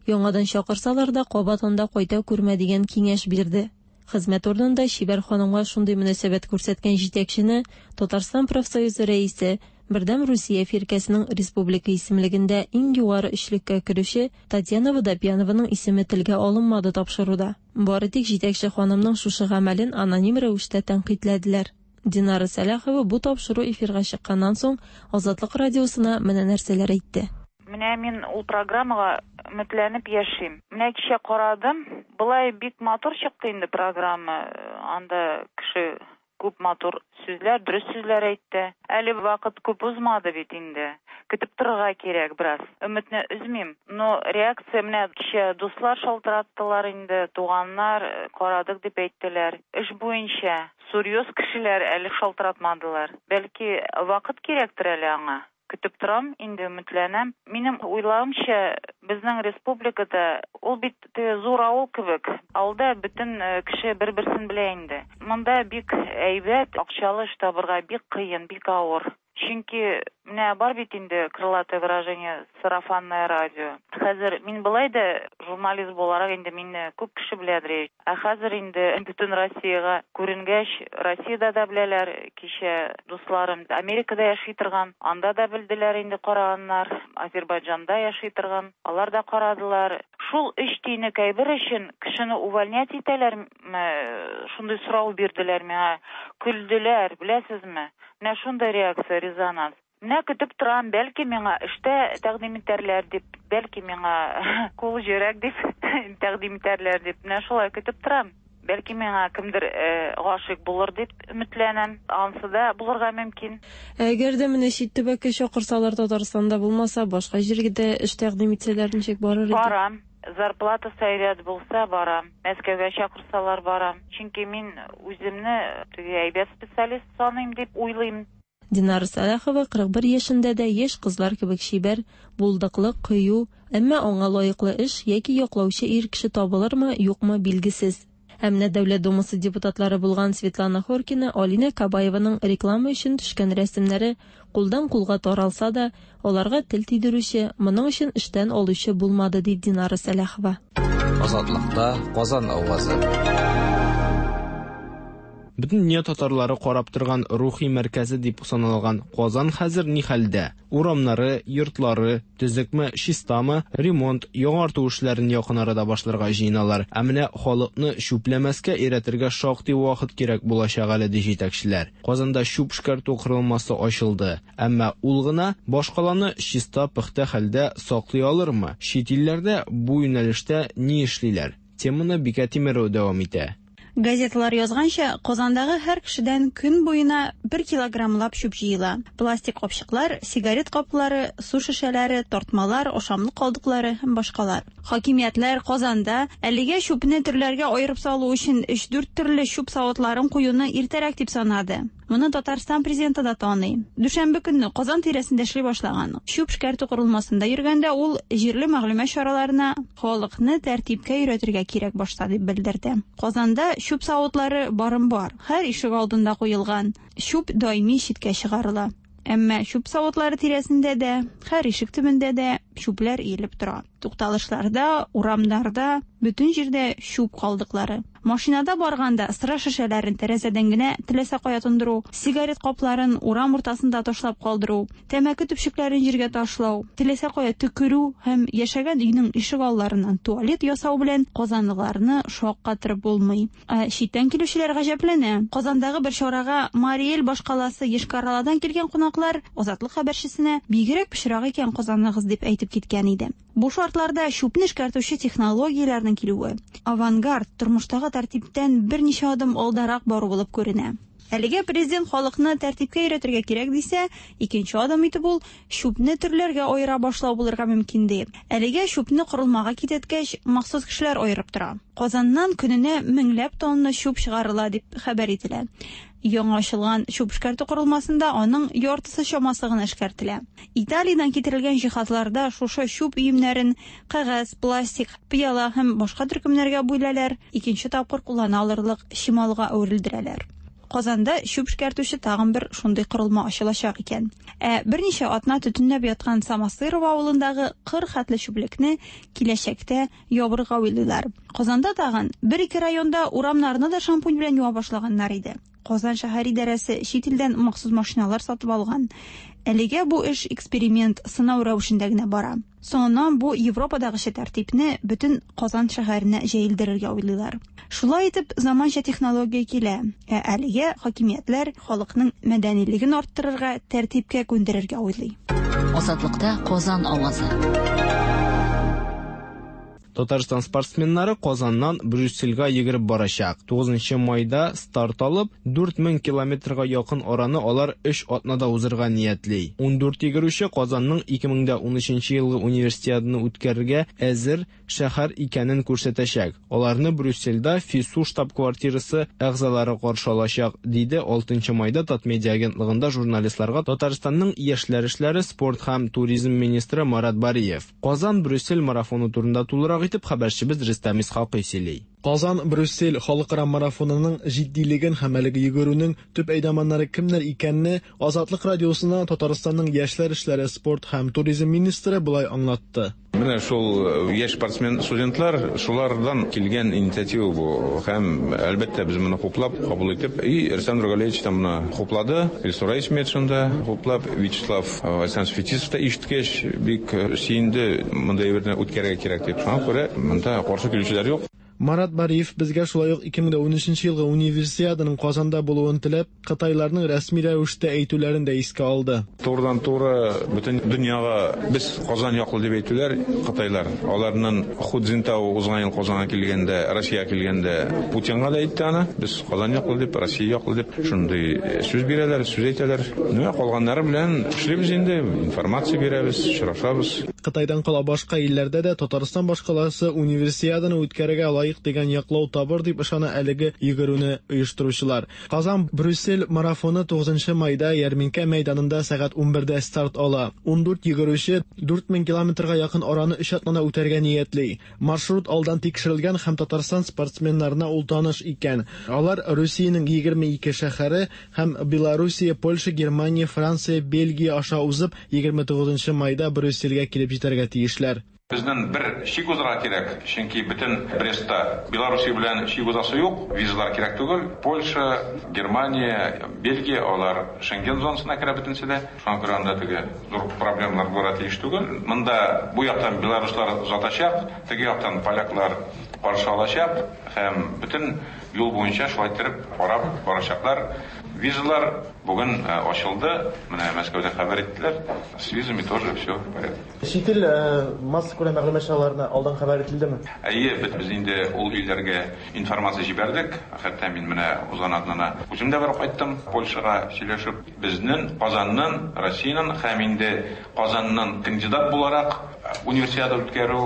Яңадан чакырсалар да кабат анда кайта күрмә дигән киңәш бирде. Хезмәт урынында чибәр ханымга шундый мөнәсәбәт күрсәткән җитәкчене Татарстан профсоюзы рәисе, Бердәм Русия фиркәсенең республика исемлегендә иң югары өчлеккә керүче Татьяна Водопьянованың исеме телгә алынмады тапшыруда. Бары тик җитәкче ханымның шушы гамәлен аноним рәвештә тәнкыйтьләделәр. Динара Сәлахова бу тапшыру эфирга чыкканнан соң Азатлык радиосына менә нәрсәләр әйтте. Менә мин ул программага өметләнеп яшим. Менә кичә карадым, былай бик матур чыкты инде программа. Анда кеше күп матур сүзләр, дөрес сүзләр әйтте. Әле вакыт күп узмады бит инде. Көтеп торырга кирәк бераз. Өметне өзмим. Но реакция менә кичә дуслар шалтыраттылар инде, туганнар карадык дип әйттеләр. Эш буенча серьез кешеләр әле шалтыратмадылар. Бәлки вакыт кирәктер әле аңа. Көтеп торам, инде өметләнәм. Минем уйлавымча, безнең республикада ул бит зур авыл кебек. Авылда бөтен кеше бер-берсен белә инде. Монда бик әйбәт, акчалы эш табырга бик кыен, бик авыр. Чөнки менә бар бит инде крылатое выражение сарафанное радио. Хәзер мин былай да журналист буларак инде мине күп кеше беләдер. Ә хәзер инде бөтен Россиягә күренгәч, Россиядә дә беләләр, кичә дусларым Америкада яши торган, анда да белделәр инде караганнар, Азербайҗанда яши торган, алар да карадылар. Шул өч тиенлек әйбер өчен кешене увольнять итәләрме? Шундый сорау бирделәр миңа, көлделәр, беләсезме? Менә шундый реакция, резонанс. Менә көтеп торам, бәлки миңа эштә тәкъдим итәрләр дип, бәлки миңа кул җөрәк дип тәкъдим итәрләр дип. Менә шулай көтеп торам. Бәлки миңа кемдер гашыйк булыр дип өметләнәм. Ансы да булырга мөмкин. Әгәр дә менә чит төбәккә чакырсалар, Татарстанда булмаса, башка җиргә дә эш тәкъдим итсәләр, ничек барыр иде? Барам. Зарплатасы әйбәт булса барам. Мәскәүгә чакырсалар барам. Чөнки мин үземне теге әйбәт специалист саныйм дип уйлыйм. Динара Сәлахова кырык бер яшендә дә яшь кызлар кебек чибәр, булдыклы, кыю, әмма аңа лаеклы эш яки яклаучы ир кеше табылырмы, юкмы билгесез. Ә менә Дәүләт Думасы депутатлары булган Светлана Хоркина, Алинә Кабаеваның реклама өчен төшкән рәсемнәре кулдан кулга таралса да, аларга тел тидерүче, моның өчен эштән алучы булмады, ди Динара Сәлахова. Азатлыкта Казан авазы. Бөтен дөнья татарлары карап торган рухи мәркәзе дип саналган Казан хәзер ни хәлдә? Урамнары, йортлары төзекме, чистамы, ремонт, яңарту эшләрен якын арада башларга җыеналар. Ә менә халыкны чүпләмәскә өйрәтергә шактый вакыт кирәк булачак әле, ди җитәкчеләр. Казанда чүп эшкәртү корылмасы ачылды. Әмма ул гына башкаланы чиста, пөхтә хәлдә саклый алырмы? Чит илләрдә бу юнәлештә ни эшлиләр? Теманы Бикә Тимерова дәвам итә. Газеталар язганча, Казандагы һәр кешедән көн буена бер килограммлап чүп җыела. Пластик капчыклар, сигарет каплары, су шешәләре, тартмалар, ашамлык калдыклары һәм башкалар. Хакимиятләр Казанда әлегә чүпне төрләргә аерып салу өчен өч-дүрт төрле чүп савытларын куюны иртәрәк дип санады. Моны Татарстан президенты да таный. Дүшәмбе көнне Казан тирәсендә эшли башлаган чүп эшкәртү корылмасында йөргәндә ул җирле мәгълүмат чараларына халыкны тәртипкә өйрәтергә кирәк башта дип белдерде. Казанда чүп савытлары барым бар. Һәр ишек алдында куелган. Чүп даими читкә чыгарыла. Әмма чүп савытлары тирәсендә дә, һәр ишек төбендә дә чүпләр иелеп тора. Тукталышларда, урамнарда, бөтен җирдә чүп калдыклары. Машинада барганда сыра шешәләрен тәрәзәдән генә теләсә кая тондыру, сигарет капларын урам уртасында ташлап калдыру, тәмәке төпчекләрен җиргә ташлау, теләсә кая төкерү һәм яшәгән өйнең ишек алларыннан туалет ясау белән казанлыларны шаккатырып булмый. Ә читтән килүчеләр гаҗәпләнә. Казандагы бер чарага Мариэль башкаласы Йошкар-Оладан килгән кунаклар Азатлык хәбәрчесенә бигрәк пычрак икән Казаныгыз дип әйтеп киткән иде. Бу шартларда чүпне эшкәртүче технологияләрнең килүе авангард тормыштагы тәртиптән берничә адым алдарак бару булып күренә. Әлегә президент халыкны тәртипкә өйрәтергә кирәк дисә, икенче адым итеп ул чүпне төрләргә аера башлау булырга мөмкин ди. Әлегә чүпне корылмага китерткәч, махсус кешеләр аерып тора. Казаннан көненә меңләп тонна чүп чыгарыла дип хәбәр ителә. Яңа ачылган чүп эшкәртү корылмасында аның яртысы чамасы гына эшкәртелә. Италиядән китерелгән җиһазларда шушы чүп өемнәрен кәгазь, пластик, пыяла һәм башка төркемнәргә бүләләр, икенче тапкыр куллана алырлык чималга әверелдерәләр. Казанда чүп эшкәртүче тагын бер шундый корылма ачылачак икән. Ә берничә атна төтенләп яткан Самосырова авылындагы кыр хәтле чүплекне киләчәктә ябырга уйлыйлар. Казанда тагын бер-ике районда урамнарны да шампунь белән юа башлаганнар иде. Казан шәһәр идарәсе чит илдән махсус машиналар сатып алган. Әлегә бу эш эксперимент, сынау рәвешендә генә бара. Соңыннан бу Европадагыча тәртипне бөтен Казан шәһәренә җәелдерергә уйлыйлар. Шулай итеп, заманча технология килә. Ә әлегә хакимиятләр халыкның мәдәнилеген арттырырга, тәртипкә күндерергә уйлый. Азатлыкта Казан авазы. Татарстан спортсменнары Казаннан Брюссельгә йөгереп барачак. тугызынчы майда старт алып, дүрт мең километрга якын араны алар өч атнада узырга ниятли. Ундүрт йөгерүче Казанның ике мең дә унөченче елгы универсиаданы үткәрергә әзер шәһәр икәнен күрсәтәчәк. Аларны Брюссельдә ФИСУ штаб-квартирасы әгъзалары каршы алачак, диде алтынчы майда Татмедиа агентлыгында журналистларга Татарстанның яшьләр эшләре, спорт һәм туризм министры Марат Бариев. Казан Брюссель марафоны турында тулырак итеп хәбәрчебез Рөстәм Исхакый сөйли. Казан Брюссель халыкара марафонының җитдилеген һәм әлеге йөгерүнең төп әйдаманнары кемнәр икәнне Азатлык радиосына Татарстанның яшьләр эшләре, спорт һәм туризм министры болай аңлатты. Менә шул яшь спортсмен студентлар, шулардан килгән инициатива бу. Һәм әлбәттә без моны хуплап, кабул итеп, и Рөстәм Нургалиевич та моны хуплады, Илсур Исметшин да хуплап, Вячеслав Александрович Фетисов та ишеткәч бик сөенде, мондай берне үткәрергә кирәк дип. Шуңа күрә монда каршы килүчеләр юк. Марат Бариев безгә шулай ук ике мең дә унөченче елгы универсиаданың Казанда булуын теләп, Кытайларның рәсми рәвештә әйтүләрен дә искә алды. Турыдан-туры бөтен дөньяга без Казан яклы дип әйтүләр Кытайлар. Аларның Ху Цзиньтао узган ел Казанга килгәндә, Россиягә килгәндә Путинга да әйтте аны. Без Казан яклы дип, Россия яклы дип шундый сүз бирәләр, сүз әйтәләр. Менә калганнары белән эшлибез инде, информация бирәбез, очрашабыз. Кытайдан кала башка илләрдә дә Татарстан башкаласы универсиаданы үткәрергә лаек дигән яклау табыр дип ышана әлеге йөгерүне оештыручылар. Казан Брюссель марафоны тугызынчы майда Ярминкә мәйданында сәгать унбердә старт ала. Ундүрт йөгерүче дүрт мең километрга якын араны өч атнада үтәргә ниятли. Маршрут алдан тикшерелгән һәм Татарстан спортсменнарына ул таныш икән. Алар Русиянең егерме ике шәһәре һәм Белоруссия, Польша, Германия, Франция, Бельгия аша узып егерме тугызынчы майда Брюссельгә килеп җитәргә тиешләр. Безнең бер чик узарга кирәк, чөнки бөтен Брестта Белоруссия белән чик узасы юк, визалар кирәк түгел. Польша, Германия, Бельгия алар Шенген зонасына керә бөтенесе дә. Шуңа күрә анда теге зур проблемалар булырга тиеш түгел. Монда бу яктан белоруслар озатачак, теге яктан поляклар каршы алачак һәм бөтен юл буенча шулай итеп карап барачаклар. Визалар бүген ачылды. Менә Мәскәүдә хәбәр иттеләр. С визами тоже все в порядке. Чит ил массакүләм мәгълүмат чараларына алдан хәбәр ителдеме? Әйе, без инде ул илләргә информация җибәрдек. Хәтта мин менә узган атнада үзем дә барып кайттым Польшага сөйләшеп. Безнең Казанның, Россиянең һәм инде Казанның кандидат буларак универсиада үткәрү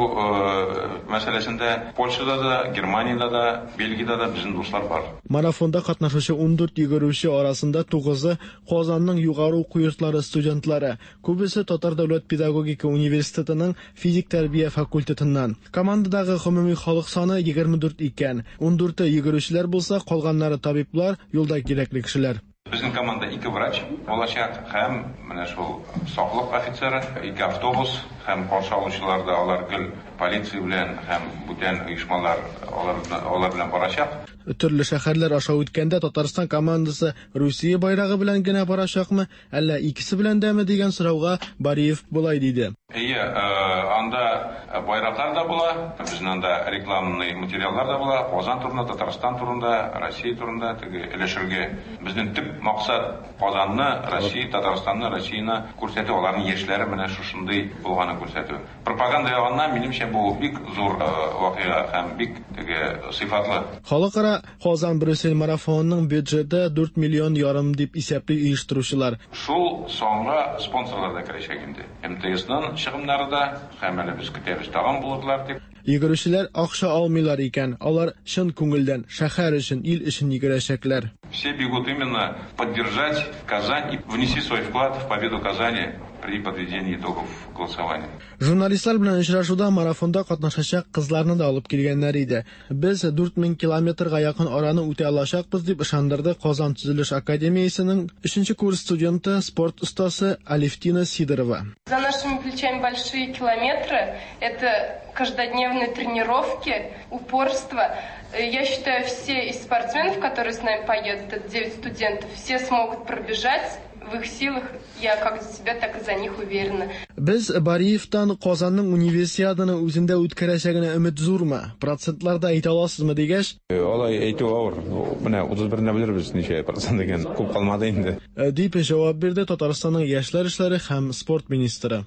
мәсьәләсендә Польшада да, Германиядә дә, Бельгиядә дә безнең дуслар бар. Марафонда катнашучы ундүрт йөгерүче арасында тугызы Казанның югары уку йортлары студентлары, күбесе Татар дәүләт педагогика университетының физик тәрбия факультетыннан. Командадагы гомуми халык саны егерме дүрт икән. Ундүрте йөгерүчеләр булса, калганнары табиблар, юлда кирәкле кешеләр. Безнең команда ике врач булачак һәм менә шул саклык офицеры, ике автобус һәм каршы алучылар да алар гел полиция белән һәм бүтән оешмалар алар, алар белән барачак. Төрле шәһәрләр аша үткәндә Татарстан командасы Русия байрагы белән генә барачакмы, әллә икесе белән дәме дигән сорауга Бариев болай диде. Әйе, анда байраклар да була, безнең анда рекламный материаллар да була, Казан турында, Татарстан турында, Россия турында теге өләшергә. Безнең төп максат Казанны, Россия, Татарстанны, Россияне күрсәтү, аларның яшьләре менә шушындый булганын күрсәтү. Пропаганда ягыннан минемчә бу бик зур вакыйга һәм бик теге сыйфатлы. Халыкара Казан Брюссель марафонының бюджеты дүрт миллион ярым дип исәпли оештыручылар. Шул санга спонсорлар да керәчәк инде. эм тэ эсның чыгымнары да һәм әле без көтәбез тагын булырлар дип. Йөгерүчеләр акча алмыйлар икән, алар чын күңелдән шәһәр өчен, ил өчен йөгерәчәкләр. Все бегут именно поддержать Казань и внести свой вклад в победу Казани при подведении итогов голосования. Журналистлар белән очрашуда марафонда катнашачак кызларны да алып килгәннәр иде. Без дүрт мең километрга якын араны үтә алачакбыз дип ышандырды Казан төзелеш академиясенең өченче курс студенты, спорт остасы Алевтина Сидорова. За нашими плечами большие километры, это каждодневные тренировки, упорство. Я считаю, все из спортсменов, которые с нами поедут, это девять студентов, все смогут пробежать. В их силах, я как за себя, так и за них уверена. Без Бариевтан Казанның универсиаданы үзендә үткәрәчәгенә өмет зурмы? Процентларда әйтә аласызмы дигәч? Алай әйтү авыр. Менә утыз берендә белербез ничә процент икән. Күп калмады инде. Дип җавап бирде Татарстанның яшьләр эшләре һәм спорт министры.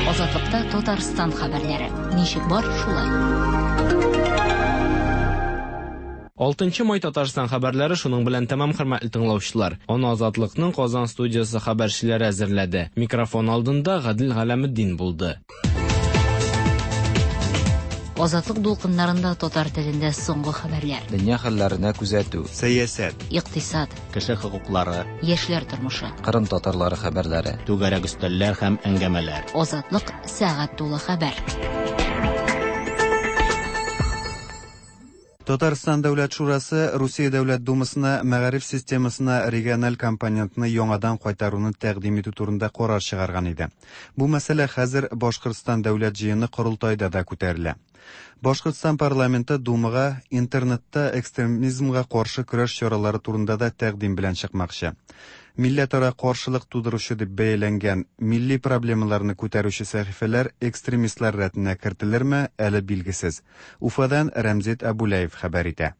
Азатлыкта Татарстан хәбәрләре. Ничек бар, шулай. Алтынчы май Татарстан хәбәрләре шуның белән тәмам, хөрмәтле тыңлаучылар. Аны Азатлыкның Казан студиясе хәбәрчеләре әзерләде. Микрофон алдында Гадел Галәметдин булды. Азатлык дулкыннарында татар телендә соңгы хәбәрләр. Дөнья хәлләренә күзәтү, сәясәт, икътисад, кеше хокуклары, яшьләр тормышы, Кырым татарлары хәбәрләре, түгәрәк өстәлләр һәм әңгәмәләр. Азатлык сәгать тулы хәбәр. Татарстан Дәүләт Шурасы Русия Дәүләт Думасына мәгариф системасына региональ компонентны яңадан кайтаруны тәкъдим итү турында карар чыгарган иде. Бу мәсьәлә хәзер Башкортстан Дәүләт җыены корылтайда да күтәрелә. Башкортстан парламенты Думага интернетта экстремизмга каршы көрәш чаралары турында да тәкъдим белән чыкмакчы. Милләтара каршылык тудыручы дип бәяләнгән милли проблемаларны күтәрүче сәхифәләр экстремистлар рәтенә кертелерме, әле билгесез. Уфадан Рәмзит Абулаев хәбәр итә.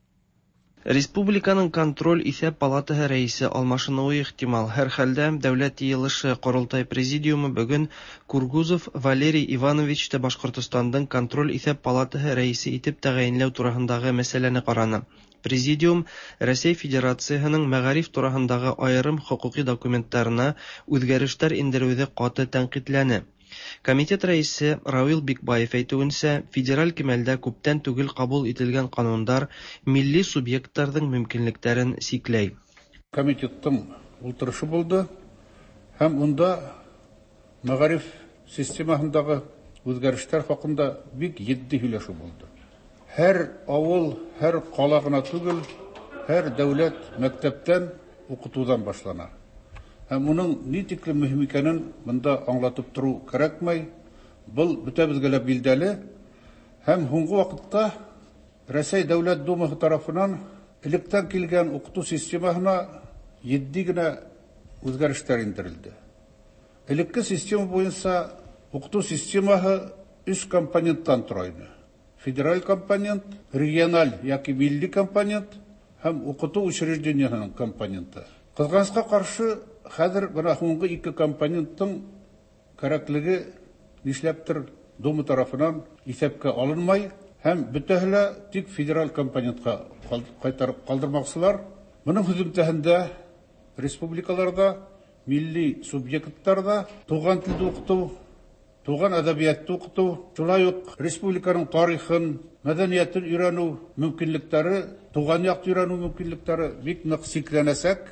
Республиканың контроль исәп палатасы рәисе алмашынуы ихтимал. Һәр хәлдә Дәүләт йыелышы Корылтай президиумы бүген Кургузов Валерий Ивановичты Башкортостанның контроль исәп палатасы рәисе итеп тәгаенләү турындагы мәсьәләне караны. Президиум Рәсәй Федерацияһының мәгариф турындагы аерым хокуки документларына үзгәрешләр индерүҙе каты тәнҡитләне. Комитет рәисе Равил Бикбаев әйтүенчә, федераль кимәлдә күптән түгел кабул ителгән канундар милли субъектларның мөмкинлекләрен сикләй. Комитеттың ултырышы булды һәм унда мәгариф системаһындагы үзгәрешләр хакында бик җитди һөйләшү булды. Һәр авыл, һәр кала гына түгел, һәр дәүләт мәктәптән укытудан башлана. Һәм уның ни тиклем мөһим икәнен монда аңлатып тору кәрәкмәй. Был бөтәбеҙгә лә билдәле. Һәм һуңғы ваҡытта Рәсәй Дәүләт Думаһы тарафынан электән килгән уҡытыу системаһына етди генә үҙгәрештәр индерелде. Элекке система буйынса уҡытыу системаһы өс компоненттан тора ине. Федераль компонент, региональ йәки милли компонент һәм уҡытыу учреждениеһының компоненты. Ҡыҙғанысҡа ҡаршы, хәҙер бына һуңғы ике компоненттың кәрәклеге нишләптер Дума тарафынан иҫәпкә алынмай һәм бөтәһе лә тик федераль компонентҡа ҡайтарып ҡалдырмаҡсылар. Бының һөҙөмтәһендә республикаларҙа, милли субъекттарҙа туған телде уҡытыу, туған әҙәбиәтте уҡытыу, шулай уҡ республиканың тарихын, мәҙәниәтен өйрәнеү мөмкинлектәре, туған яҡты өйрәнеү мөмкинлектәре бик ныҡ сикләнәсәк.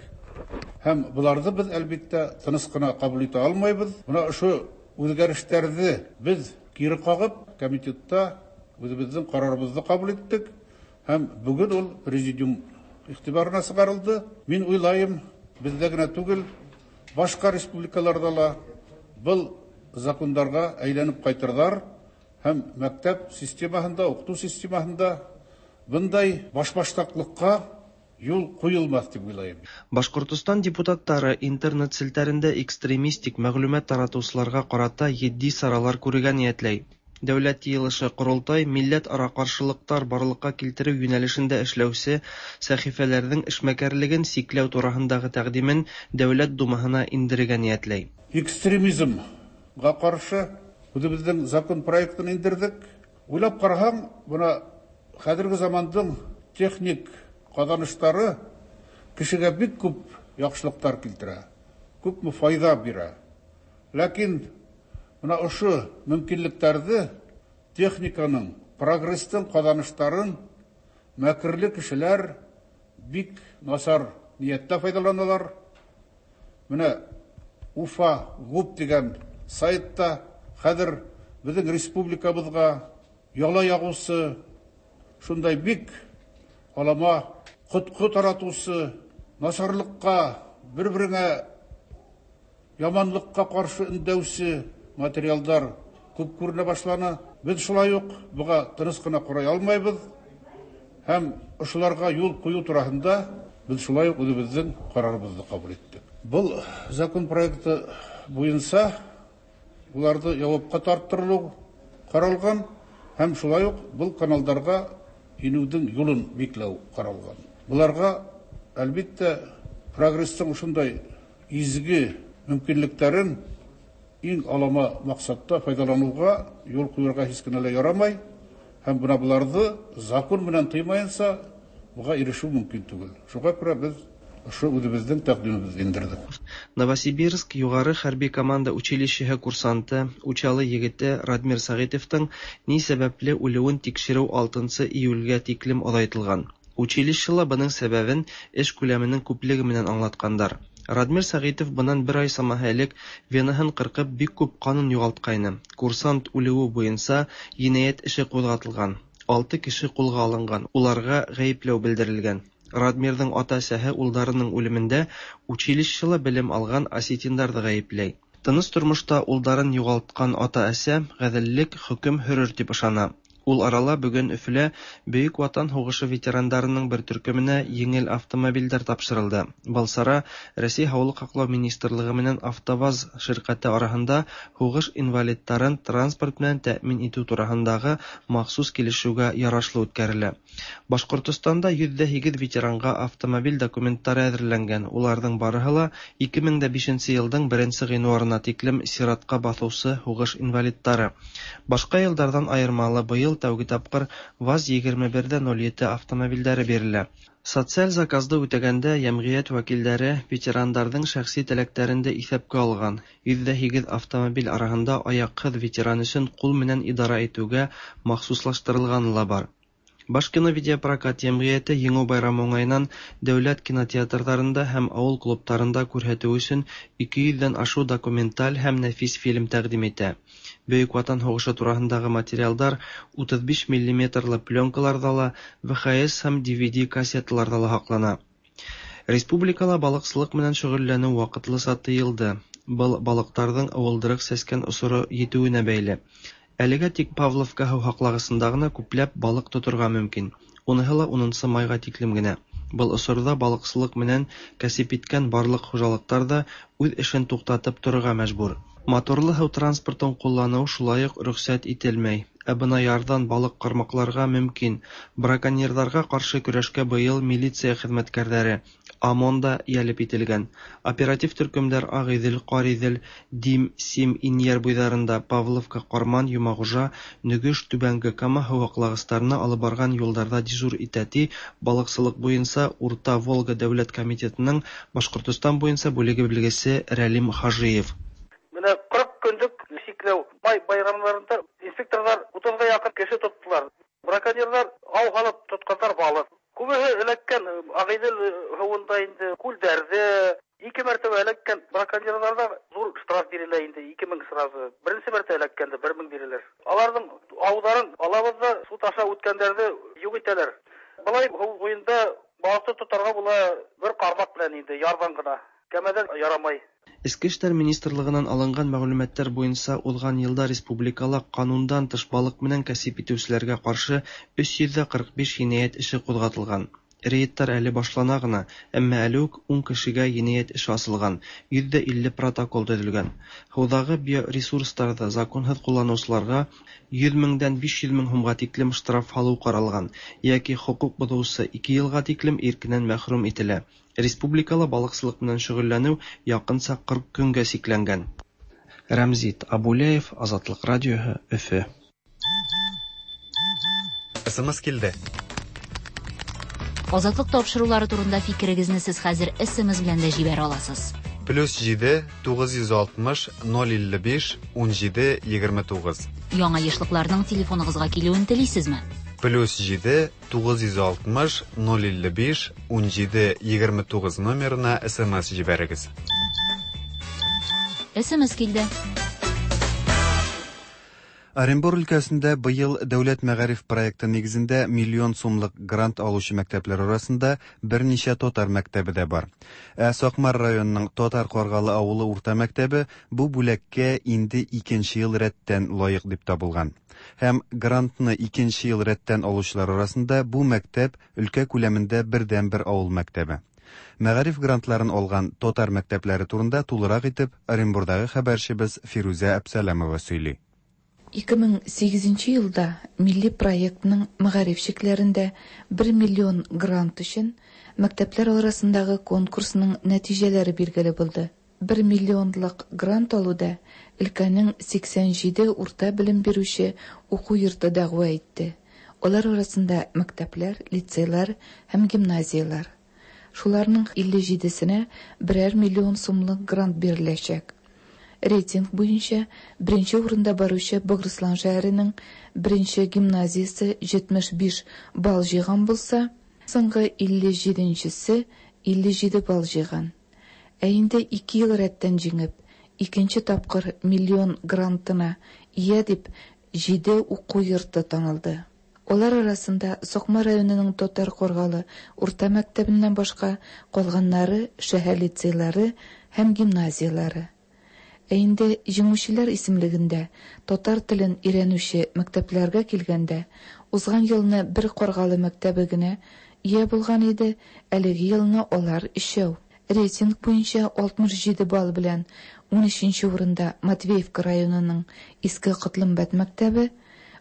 Һәм быларҙы беҙ әлбиттә тыныс ҡына ҡабул итә алмайбыҙ. Бына ошо үҙгәрештәрҙе беҙ кире ҡағып, комитетта үҙебеҙҙең ҡарарыбыҙҙы ҡабул иттек. Һәм бөгөн ул президиум иғтибарына сығарылды. Мин уйлайым, беҙҙә генә түгел, башҡа республикаларҙа ла был закондарға әйләнеп ҡайтырҙар һәм мәктәп системаһында, уҡытыу системаһында бындай башбаштаҡлыҡҡа юл ҡуйылмаҫ тип уйлайым. Башҡортостан депутаттары интернет селтәрендә экстремистик мәғлүмәт таратыусыларға ҡарата етди саралар күрергә ниәтләй. Дәүләт йыйылышы Ҡоролтай милләт-ара ҡаршылыҡтар барлыҡҡа килтереү йүнәлешендә эшләүсе сәхифәләрҙең эшмәкәрлеген сикләү тураһындағы тәҡдимен Дәүләт Думаһына индерергә ниәтләй. Экстремизмға ҡаршы үҙебеҙҙең закон проектын индерҙек. Уйлап ҡараһаң, бына хәҙерге замандың техник ҡаҙаныштары кешегә бик күп яҡшылыҡтар килтерә, күпме файҙа бирә. Ләкин бына ошо мөмкинлектәрҙе, техниканың, прогресстың ҡаҙаныштарын мәкерле кешеләр бик насар ниәттә файҙаланалар. Менә Уфа ГУП тигән сайтта хәҙер беҙҙең республикабыҙға яла яғыусы, шундай бик алама ҡотҡо таратыусы, насарлыҡҡа, бер-береңә яманлыҡҡа ҡаршы өндәүсе материалдар күп күренә башланы. Беҙ шулай уҡ быға тыныс ҡына ҡарай алмайбыҙ һәм ошоларға юл ҡуйыу тураһында беҙ шулай уҡ үҙебеҙҙең ҡарарыбыҙҙы ҡабул иттек. Был закон проекты буйынса уларҙы яуапҡа тарттырылыу ҡаралған һәм шулай уҡ был каналдарға инеүҙең юлын бикләү ҡаралған. Быларға, әлбиттә, прогресстың ошондай изге мөмкинлектәрен иң алама маҡсатта файҙаланыуға юл ҡуйырға һис кенә лә ярамай һәм бына быларҙы закон менән тыймайынса быға ирешеү мөмкин түгел. Шуға күрә беҙ ошо үҙебеҙҙең тәҡдимебеҙҙе индерҙек. Новосибирск юғары хәрби команда училищеһы курсанты, Учалы егете Радмир Сәғитовтың ни сәбәпле үлеүен тикшереү алтынсы июлгә тиклем оҙайтылған. Училищела бының сәбәбен эш күләменең күплеге менән аңлатҡандар. Радмир Сәғитов бынан бер ай самаһы элек венаһын ҡырҡып бик күп ҡанын юғалтҡайны. Курсант үлеүе буйынса енәйәт эше ҡуҙғатылған. Алты кеше ҡулға алынған, уларға ғәйепләү белдерелгән. Радмирҙың ата-әсәһе улдарының үлемендә училищела белем алған осетиндарҙы ғәйепләй. Тыныс тормошта улдарын юғалтҡан ата-әсә ғәҙеллек хөкөм һөрөр тип ышана. Ул арала бөгөн Өфөлә Бөйөк Ватан һуғышы ветерандарының бер төркөмөнә еңел автомобилдәр тапшырылды. Был сара Рәсәй Һаулыҡ һаҡлау министрлығы менән АвтоВАЗ ширҡәте араһында һуғыш инвалидтарын транспорт менән тәьмин итеү тураһындағы махсус килешеүгә ярашлы үткәрелә. Башҡортостанда йөҙ ҙә һигеҙ ветеранға автомобиль документтары әҙерләнгән. Уларҙың барыһы ла ике мең дә бишенсе йылдың беренсе ғинуарына тиклем сиратҡа баҫыусы һуғыш инвалидтары. Башҡа йылдарҙан айырмалы быйыл Быел тәүге тапкыр ВАЗ егерме бер дә ноль ете автомобильдәре бирелә. Социаль заказды үтәгәндә йәмғиәт вәкилдәре ветерандарҙың шәхси теләктәрен дә иҫәпкә алған. Йөҙ ҙә һигеҙ автомобиль араһында аяҡһыҙ ветеран өсөн ҡул менән идара итеүгә махсуслаштырылғаны ла бар. Башкино видеопрокат йәмғиәте Еңеү байрамы уңайынан дәүләт кинотеатрҙарында һәм ауыл клубтарында күрһәтеү өсөн ике йөҙҙән ашыу документаль һәм нәфис фильм тәҡдим итә. Бөйөк Ватан һуғышы тураһындағы материалдар утыҙ биш миллиметрлы пленкаларҙа ла, В Х С һәм D V D кассеталарҙа ла һаҡлана. Республикала балыҡсылыҡ менән шөғөлләнеү ваҡытлыса тыйылды. Был балыҡтарҙың ыуылдырыҡ сәскән осоро етеүенә бәйле. Әлегә тик Павловка һыу һаҡлағысында ғына күпләп балыҡ тоторға мөмкин. Уныһы ла унынсы майға тиклем генә. Был осорҙа балыҡсылыҡ менән кәсеп иткән барлыҡ хужалыҡтар ҙа үҙ эшен туҡтатып торорға мәжбүр. Моторлы һыу транспортын ҡулланыу шулай уҡ рөхсәт ителмәй. Ә бына ярҙан балыҡ ҡармаҡларға мөмкин. Браконьерҙарға ҡаршы көрәшкә быйыл милиция хеҙмәткәрҙәре ОМОН да йәлеп ителгән. Оператив төркөмдәр Ағиҙел, Ҡариҙел, Дим, Сим, Инйәр буйҙарында, Павловка, Ҡарман, Йомағужа, Нөгөш, Түбәнге Кама һыу һаҡлағыстарына алып барған юлдарҙа дежур итә, ти балыҡсылыҡ буйынса Урта Волга дәүләт комитетының Башҡортостан буйынса бүлеге белгесе Рәлим Хажиев. Менә ҡырҡ көнлөк сикләү май байрамдарында инспекторҙар утыҙға яҡын кеше тоттолар. Браконьерҙар ау һалып тотҡандар балыҡ. Күбеһе эләккән Ағиҙел һыуында инде, күлдәрҙе. Ике мәртәбә эләккән браконьерҙарҙа ҙур штраф бирелә инде, ике мең сразу. Беренсе мәртәбә эләккәндә бер мең бирелер. Аларҙың ауҙарын алабыҙ ҙа суд аша үткәндәрҙе юҡ итәләр. Былай һыу буйында балыҡты тотарға була бер ҡармаҡ белән инде, ярҙан ғына. Кәмәҙән ярамай. Эске эштәр министрлығынан алынған мәғлүмәттәр буйынса уҙған йылда республикала ҡанундан тыш балыҡ менән кәсеп итеүселәргә ҡаршы өс йөҙ ҙә ҡырҡ биш енәйәт эше ҡуҙғатылған. Рейдтар әле башлана ғына, әммә әле үк ун кешегә енәйәт эше асылған, йөҙ ҙә илле протокол төҙөлгән. Һыуҙағы биоресурстарҙы законһыҙ ҡулланыусыларға йөҙ меңдән биш йөҙ мең һумға тиклем штраф һалыу ҡаралған, йәки хоҡуҡ боҙоусы ике йылға тиклем иркенән мәхрүм ителә. Республикала балыҡсылыҡ менән шөғөлләнеү яҡынса ҡырҡ көнгә сикләнгән. Рәмзит Абулеев, Азатлыҡ радиоһы, Өфө. С М С килде. Азатлык тапшырулары турында фикерегезне сез хәзер С М С белән дә җибәрә аласыз. Плюс җиде, тугыз йөз алтмыш, ноль илле биш, ун җиде, егерме тугыз. Яңа ешлыкларның телефоныгызга килүен телисезме? Плюс җиде, тугыз йөз алтмыш, ноль илле биш, ун җиде, егерме тугыз номерына С М С җибәрегез. С М С килде. Оренбур өлкәсендә быел дәүләт мәгариф проекты нигезендә миллион сумлык грант алучы мәктәпләр арасында берничә татар мәктәбе дә бар. Ә Сакмар районының Татар Каргалы авылы урта мәктәбе бу бүләккә инде икенче ел рәттән лаек дип табылган. Һәм грантны икенче ел рәттән алучылар арасында бу мәктәп өлкә күләмендә бердәнбер авыл мәктәбе. Мәгариф грантларын алган татар мәктәпләре турында тулырак итеп Оренбурдагы хәбәрчебез Фирүзә Әпсәләмова сөйли. ике мең сигезенче елда милли проектның мәгариф чикләрендә бер миллион грант өчен мәктәпләр арасындагы конкурсның нәтиҗәләре билгеле булды. Бер миллионлык грант алуда өлкәнең сиксән җиде урта белем бирүче уку йорты дәгъва итте. Алар арасында мәктәпләр, лицейлар һәм гимназияләр. Шуларның илле җидесенә берәр миллион сумлык грант биреләчәк. Рейтинг буенча беренче урында баручы Богырыслан шәһәренең беренче гимназиясе җитмеш биш балл җыйган булса, соңгы илле җиденчесе илле җиде балл җыйган. Ә инде ике ел рәттән җиңеп, икенче тапкыр миллион грантына ия дип җиде уку йорты танылды. Алар арасында Сакмар районының Татар Каргалы урта мәктәбеннән башка калганнары шәһәр лицейлары һәм гимназияләре. Ә инде җиңүчеләр исемлегендә татар телен өйрәнүче мәктәпләргә килгәндә, узган елны бер Каргалы мәктәбе генә ия булган иде, әлеге елны алар өчәү. Рейтинг буенча алтмыш җиде балл белән ун өченче урында Матвеевка районының Иске Котлымбәт мәктәбе,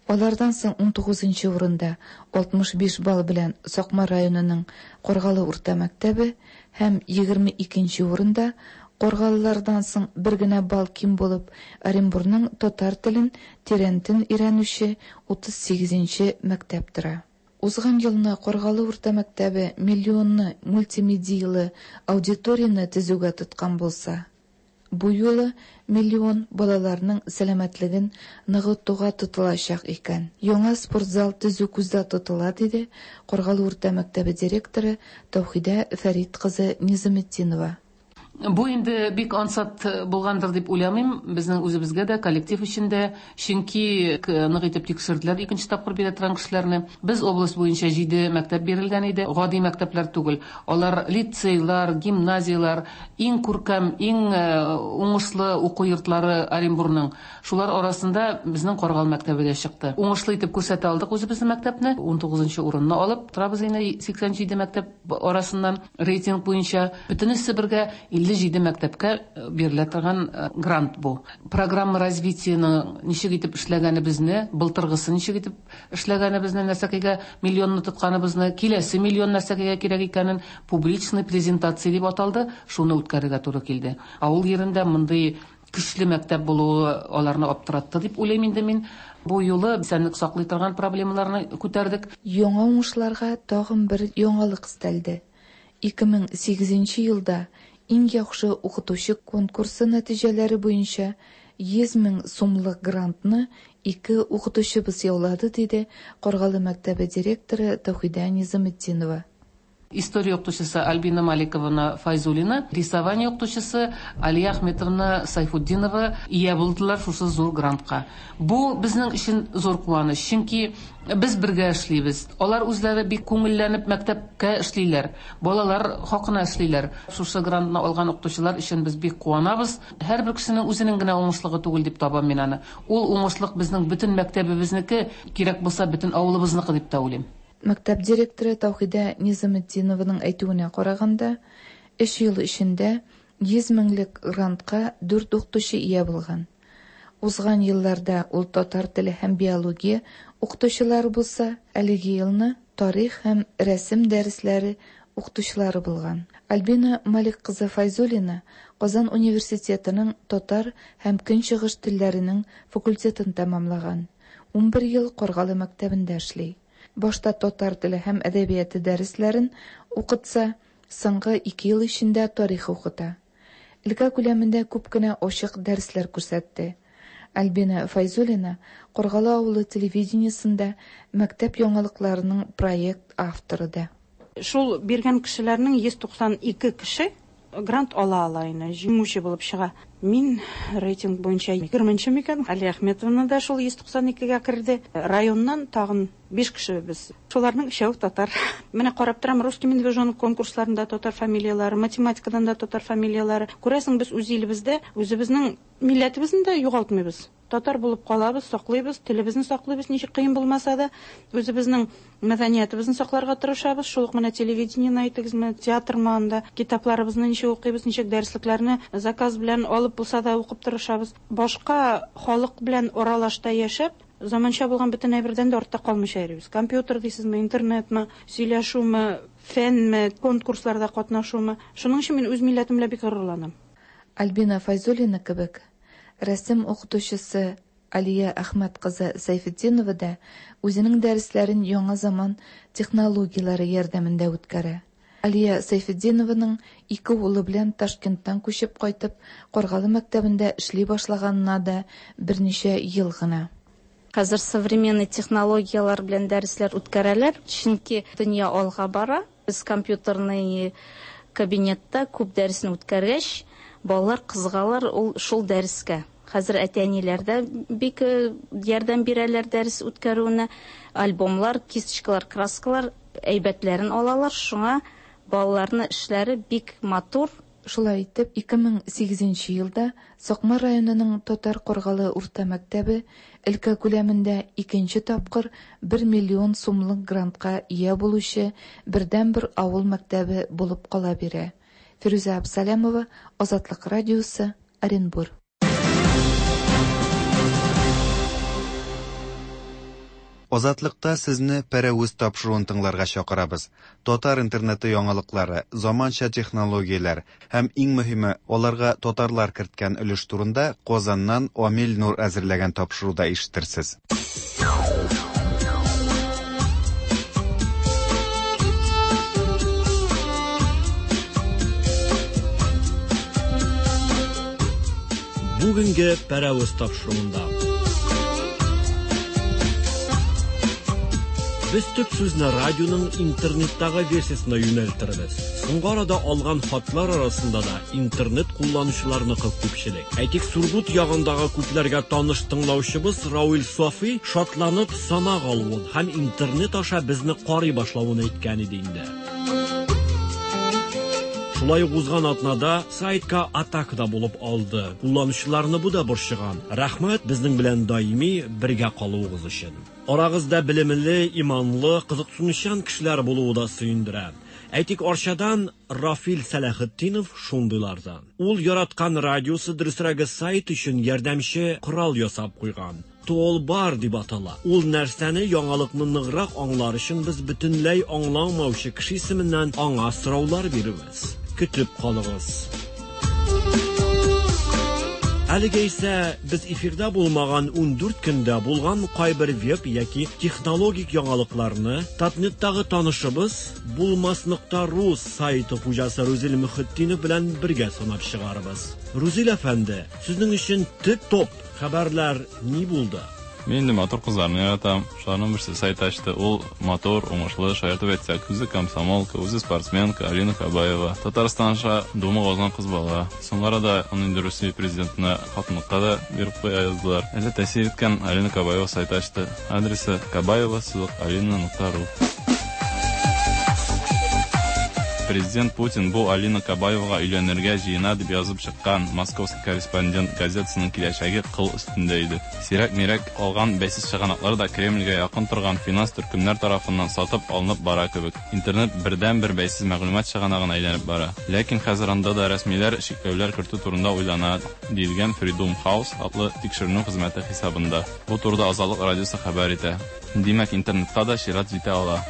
алардан соң ун тугызынчы урында алтмыш биш балл белән Сакмар районының Каргалы урта мәктәбе һәм егерме икенче урында Каргалылардан соң бер генә балл ким булып, Оренбурның татар телен тирәнтен өйрәнүче утыз сигезенче мәктәп тора. Узган елны Каргалы урта мәктәбе миллионны мультимедиялы аудиторияне төзүгә тоткан булса, бу юлы миллион балаларның сәламәтлеген ныгытуга тотылачак икән. Яңа спортзал төзү күздә тотыла, диде Каргалы урта мәктәбе директоры Таухидә Фәрит кызы Низаметдинова. Бу инде бик ансат булгандыр дип уйламыйм, безнең үзебезгә дә, коллектив өчен дә, чөнки нык итеп тикшерделәр икенче тапкыр бирә торган кешеләрне. Без область буенча җиде мәктәп бирелгән иде, гади мәктәпләр түгел. Алар лицейлар, гимназиялар, иң күркәм, иң уңышлы уку йортлары Оренбурның. Шулар арасында безнең Каргалы мәктәбе дә чыкты. Уңышлы итеп күрсәтә алдык үзебезнең мәктәпне. ун тугызынчы урынны алып торабыз инде сиксән җиде мәктәп арасыннан рейтинг буенча. Бөтенесе бергә илле җиде мәктәпкә бирелә торган грант бу. Программа развитиеның ничек итеп эшләгәнебезне, былтыргысы ничек итеп эшләгәнебезне, нәрсәкәгә миллионны тотканыбызны, киләсе миллион нәрсәкәгә кирәк икәнен публичный презентация дип аталды, шуны үткәрергә туры килде. Авыл ерендә мондый көчле мәктәп булуы аларны аптыратты дип уйлыйм инде мин. Бу юлы исәнлек саклый торган проблемаларны күтәрдек. Яңа уңышларга тагын бер яңалык өстәлде. ике мең сигезенче елда иң яхшы укытучы конкурсы нәтиҗәләре буенча йөз мең сумлык грантны ике укытучыбыз яулады, диде Каргалы мәктәбе директоры Таухидә Низаметдинова. История укытучысы Альбина Маликовна Файзуллина, рисование укытучысы Алия Ахметовна Сайфутдинова ия булдылар шушы зур грантка. Бу безнең өчен зур куаныч, чөнки без бергә эшлибез. Алар үзләре бик күңелләнеп мәктәпкә эшлиләр, балалар хакына эшлиләр. Шушы грантны алган укытучылар өчен без бик куанабыз. Һәрбер кешенең үзенең генә уңышлыгы түгел дип табам мин аны. Ул уңышлык безнең бөтен мәктәбебезнеке, кирәк булса бөтен авылыбызныкы дип тә уйлыйм. Мәктәп директоры Таухидә Низаметдинованың әйтүенә караганда, өч ел эчендә йөз меңлек грантка дүрт укытучы ия булган. Узган елларда ул татар теле һәм биология укытучылары булса, әлеге елны тарих һәм рәсем дәресләре укытучылары булган. Альбина Малик кызы Файзуллина Казан университетының татар һәм көнчыгыш телләренең факультетын тәмамлаган. ун бер ел Каргалы мәктәбендә эшли. Башта татар теле һәм әдәбияты дәресләрен укытса, соңгы ике ел эчендә тарих укыта. Өлкә күләмендә күп кенә ачык дәресләр күрсәтте. Альбина Файзуллина Каргалы авылы телевидениесендә мәктәп яңалыкларының проект авторы да. Шул биргән кешеләрнең йөз туксан ике кеше грант ала ала инде, җиңүче булып чыга. Мин рейтинг буенча егерменче микән? Алия Ахметовна да шул йөз туксан икегә керде. Районнан тагын биш кеше без. Шуларның өчәү татар. Менә карап торам, русский медвежонок конкурсларында татар фамилияләре, математикадан да татар фамилияләре. Күрәсең, без үз илебездә үзебезнең милләтебезне дә югалтмыйбыз. Татар булып калабыз, саклыйбыз, телебезне саклыйбыз, ничек кыен булмаса да, үзебезнең мәдәниятебезне сакларга тырышабыз. Шул ук менә телевидениене әйтегезме, театрмы анда, китапларыбызны ничек укыйбыз, ничек дәреслекләрне заказ белән алып булса да укып тырышабыз. Башка халык белән аралашта яшәп, заманча булган бөтен әйбердән дә артта калмыйча йөрибез. Компьютер дисезме, интернетмы, сөйләшүме, фәнме, конкурсларда катнашумы. Шуның өчен мин үз милләтем белән бик горурланам. Альбина Файзуллина кебек рәсем укытучысы Алия Әхмәт кызы Сайфетдинова да үзенең дәресләрен яңа заман технологияләре ярдәмендә үткәрә. Алия Сайфетдинованың ике улы белән Ташкенттан күчеп кайтып, Каргалы мәктәбендә эшли башлаганына да берничә ел гына. Хәзер современный технологияләр белән дәресләр үткәрәләр, чөнки дөнья алга бара. Без компьютерный кабинетта күп дәресне үткәргәч, балалар кызыгалар ул шул дәрескә. Хәзер әти-әниләр дә бик ярдәм бирәләр дәрес үткәрүенә. Альбомлар, кисточкалар, краскалар әйбәтләрен алалар. Шуңа балаларның эшләре бик матур. Шулай итеп, ике мең сигезенче елда Сакмар районының Татар Каргалы урта мәктәбе өлкә күләмендә икенче тапкыр бер миллион сумлык грантка ия булучы бердәнбер авыл мәктәбе булып кала бирә. Фирүзә Абсалямова, Азатлык радиосы, Оренбур. Азатлыкта сезне Пәрәвез тапшыруын тыңларга чакырабыз. Татар интернеты яңалыклары, заманча технологияләр һәм иң мөһиме, аларга татарлар керткән өлеш турында Казаннан Амил Нур әзерләгән тапшыруда ишетерсез. Бүгенге Пәрәвез тапшыруында без төп сүзне радионың интернеттагы версиясына юнәлтербез. Соңгы арада алган хатлар арасында да интернет кулланучыларныкы күпчелек. Әйтик, Сургут ягындагы күпләргә таныш тыңлаучыбыз Рауил Софи шатланып санак алуын һәм интернет аша безне карый башлавын әйткән иде инде. Шулай ук узган атнада сайтка атака да булып алды. Кулланучыларны бу да борчыган. Рәхмәт безнең белән даими бергә калуыгыз өчен. Арагызда белемле, иманлы, кызыксынучан кешеләр булуы да сөендерә. Әйтик, Арчадан Рафил Сәләхетдинов шундыйлардан. Ул яраткан радиосы, дөресрәге сайт өчен ярдәмче корал ясап куйган. Толбар дип атала. Ул нәрсәне, яңалыкны ныграк аңлар өчен без бөтенләй аңламаучы кеше исеменнән аңа сораулар бирәбез. Көтеп калыгыз. Әлегә исә без эфирда булмаган ундүрт көндә булган кайбер веб яки технологик яңалыкларны Татнеттагы танышыбыз булмас нокта ру сайты хуҗасы Рузил Мөхетдинов белән бергә санап чыгарбыз. Рузил әфәнде, сезнең өчен төп топ хәбәрләр ни булды? Мин инде матур кызларны яратам. Шуларның берсе сайт ачты. Ул матур, уңышлы, шаяртып әйтсәк, үзе комсомолка, үзе спортсменка Алина Кабаева. Татарстан аша Думага узган кыз бала. Соңгы арада аны инде Русия президентына хатынлыкка да биреп куя яздылар. Әле тәэсир иткән Алина Кабаева сайт ачты. Адресы кабаева сызык алина нокта ру. Президент Путин бу Алина Кабаевага өйләнергә җыена дип язып чыккан Московский корреспондент газетасының киләчәге кыл өстендә иде. Сирәк-мирәк калган бәйсез чыганаклар да Кремльгә якын торган финанс төркемнәр тарафыннан сатып алынып бара кебек. Интернет бердән-бер бәйсез мәгълүмат чыганагына әйләнеп бара. Ләкин хәзер анда да рәсмиләр чикләүләр кертү турында уйлана, диелгән Freedom House атлы тикшеренү хезмәте хисабында. Бу турыда Азатлык радиосы хәбәр итә. Димәк, интернетка да чират җитә ала.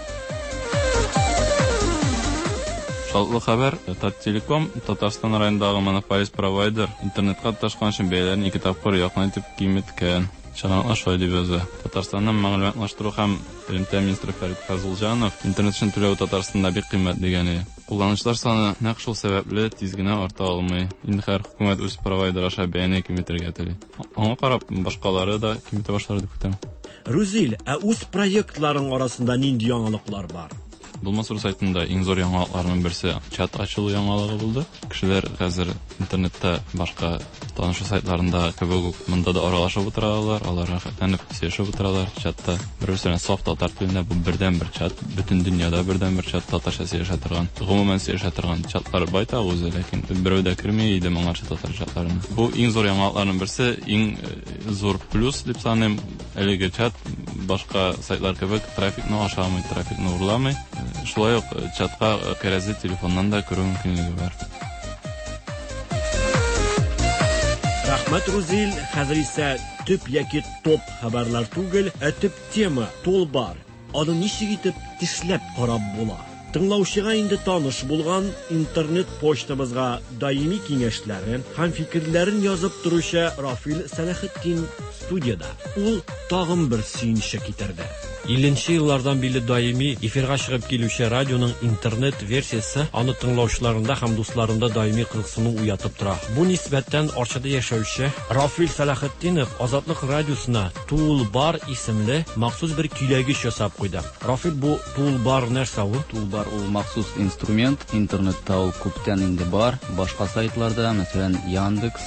Шатлы хәбәр, Таттелеком, Татарстан районындагы монополист провайдер, интернетка тоташкан өчен бәяләрен ике тапкыр якын итеп киметкән. Чыганаклар шулай дип яза. Татарстанның мәгълүматлаштыру һәм элемтә министры Фәрит Фазылҗанов интернет өчен түләү Татарстанда бик кыйммәт дигән иде. Кулланучылар саны нәкъ шул сәбәпле тиз генә арта алмый. Инде хәзер хөкүмәт үз провайдер аша бәяне киметергә тели. Аңа карап башкалары да киметә башлар дип көтәм. Рузил, ә үз проектларың арасында нинди яңалыклар бар? Булмас ру сайтында иң зур яңалыкларның берсе чат ачылу яңалыгы булды. Кешеләр хәзер интернетта башка танышу сайтларында кебек үк монда да аралашып утыралар, алар рәхәтләнеп сөйләшеп утыралар чатта. Бер-берсенә саф татар телендә бу бердәнбер чат, бөтен дөньяда бердәнбер чат татарча сөйләшә торган, гомумән сөйләшә торган чатлар байтак үзе, ләкин берәү дә керми иде моңарчы татар чатларына. Бу иң зур яңалыкларның берсе, иң зур плюс дип саныйм. Әлеге чат башка сайтлар кебек трафикны ашамый, трафикны урламый. Шулай ук чатка кәрәзле телефоннан да керү мөмкинлеге бар. Рәхмәт, Рузил. Хәзер исә төп яки топ хәбәрләр түгел, ә төп тема толбар. Аны ничек итеп тешләп карап була? Тыңлаучыга инде таныш булган интернет почтабызга даими киңәшләрен һәм фикерләрен язып торучы Рафил Сәләхетдин студияда. Ул тагын бер сөенече китерде. Илленче еллардан бирле даими эфирга чыгып килүче радионың интернет версиясе аны тыңлаучыларында һәм дусларында даими кызыксыну уятып тора. Бу нисбәттән Арчада яшәүче Рафил Сәләхетдинов Азатлык радиосына Тулбар исемле махсус бер көйләгеч ясап куйды. Рафил, бу Тулбар нәрсә ул? Тулбар ул махсус инструмент, интернетта ул күптән инде бар. Башка сайтларда, мәсәлән, Яндекс,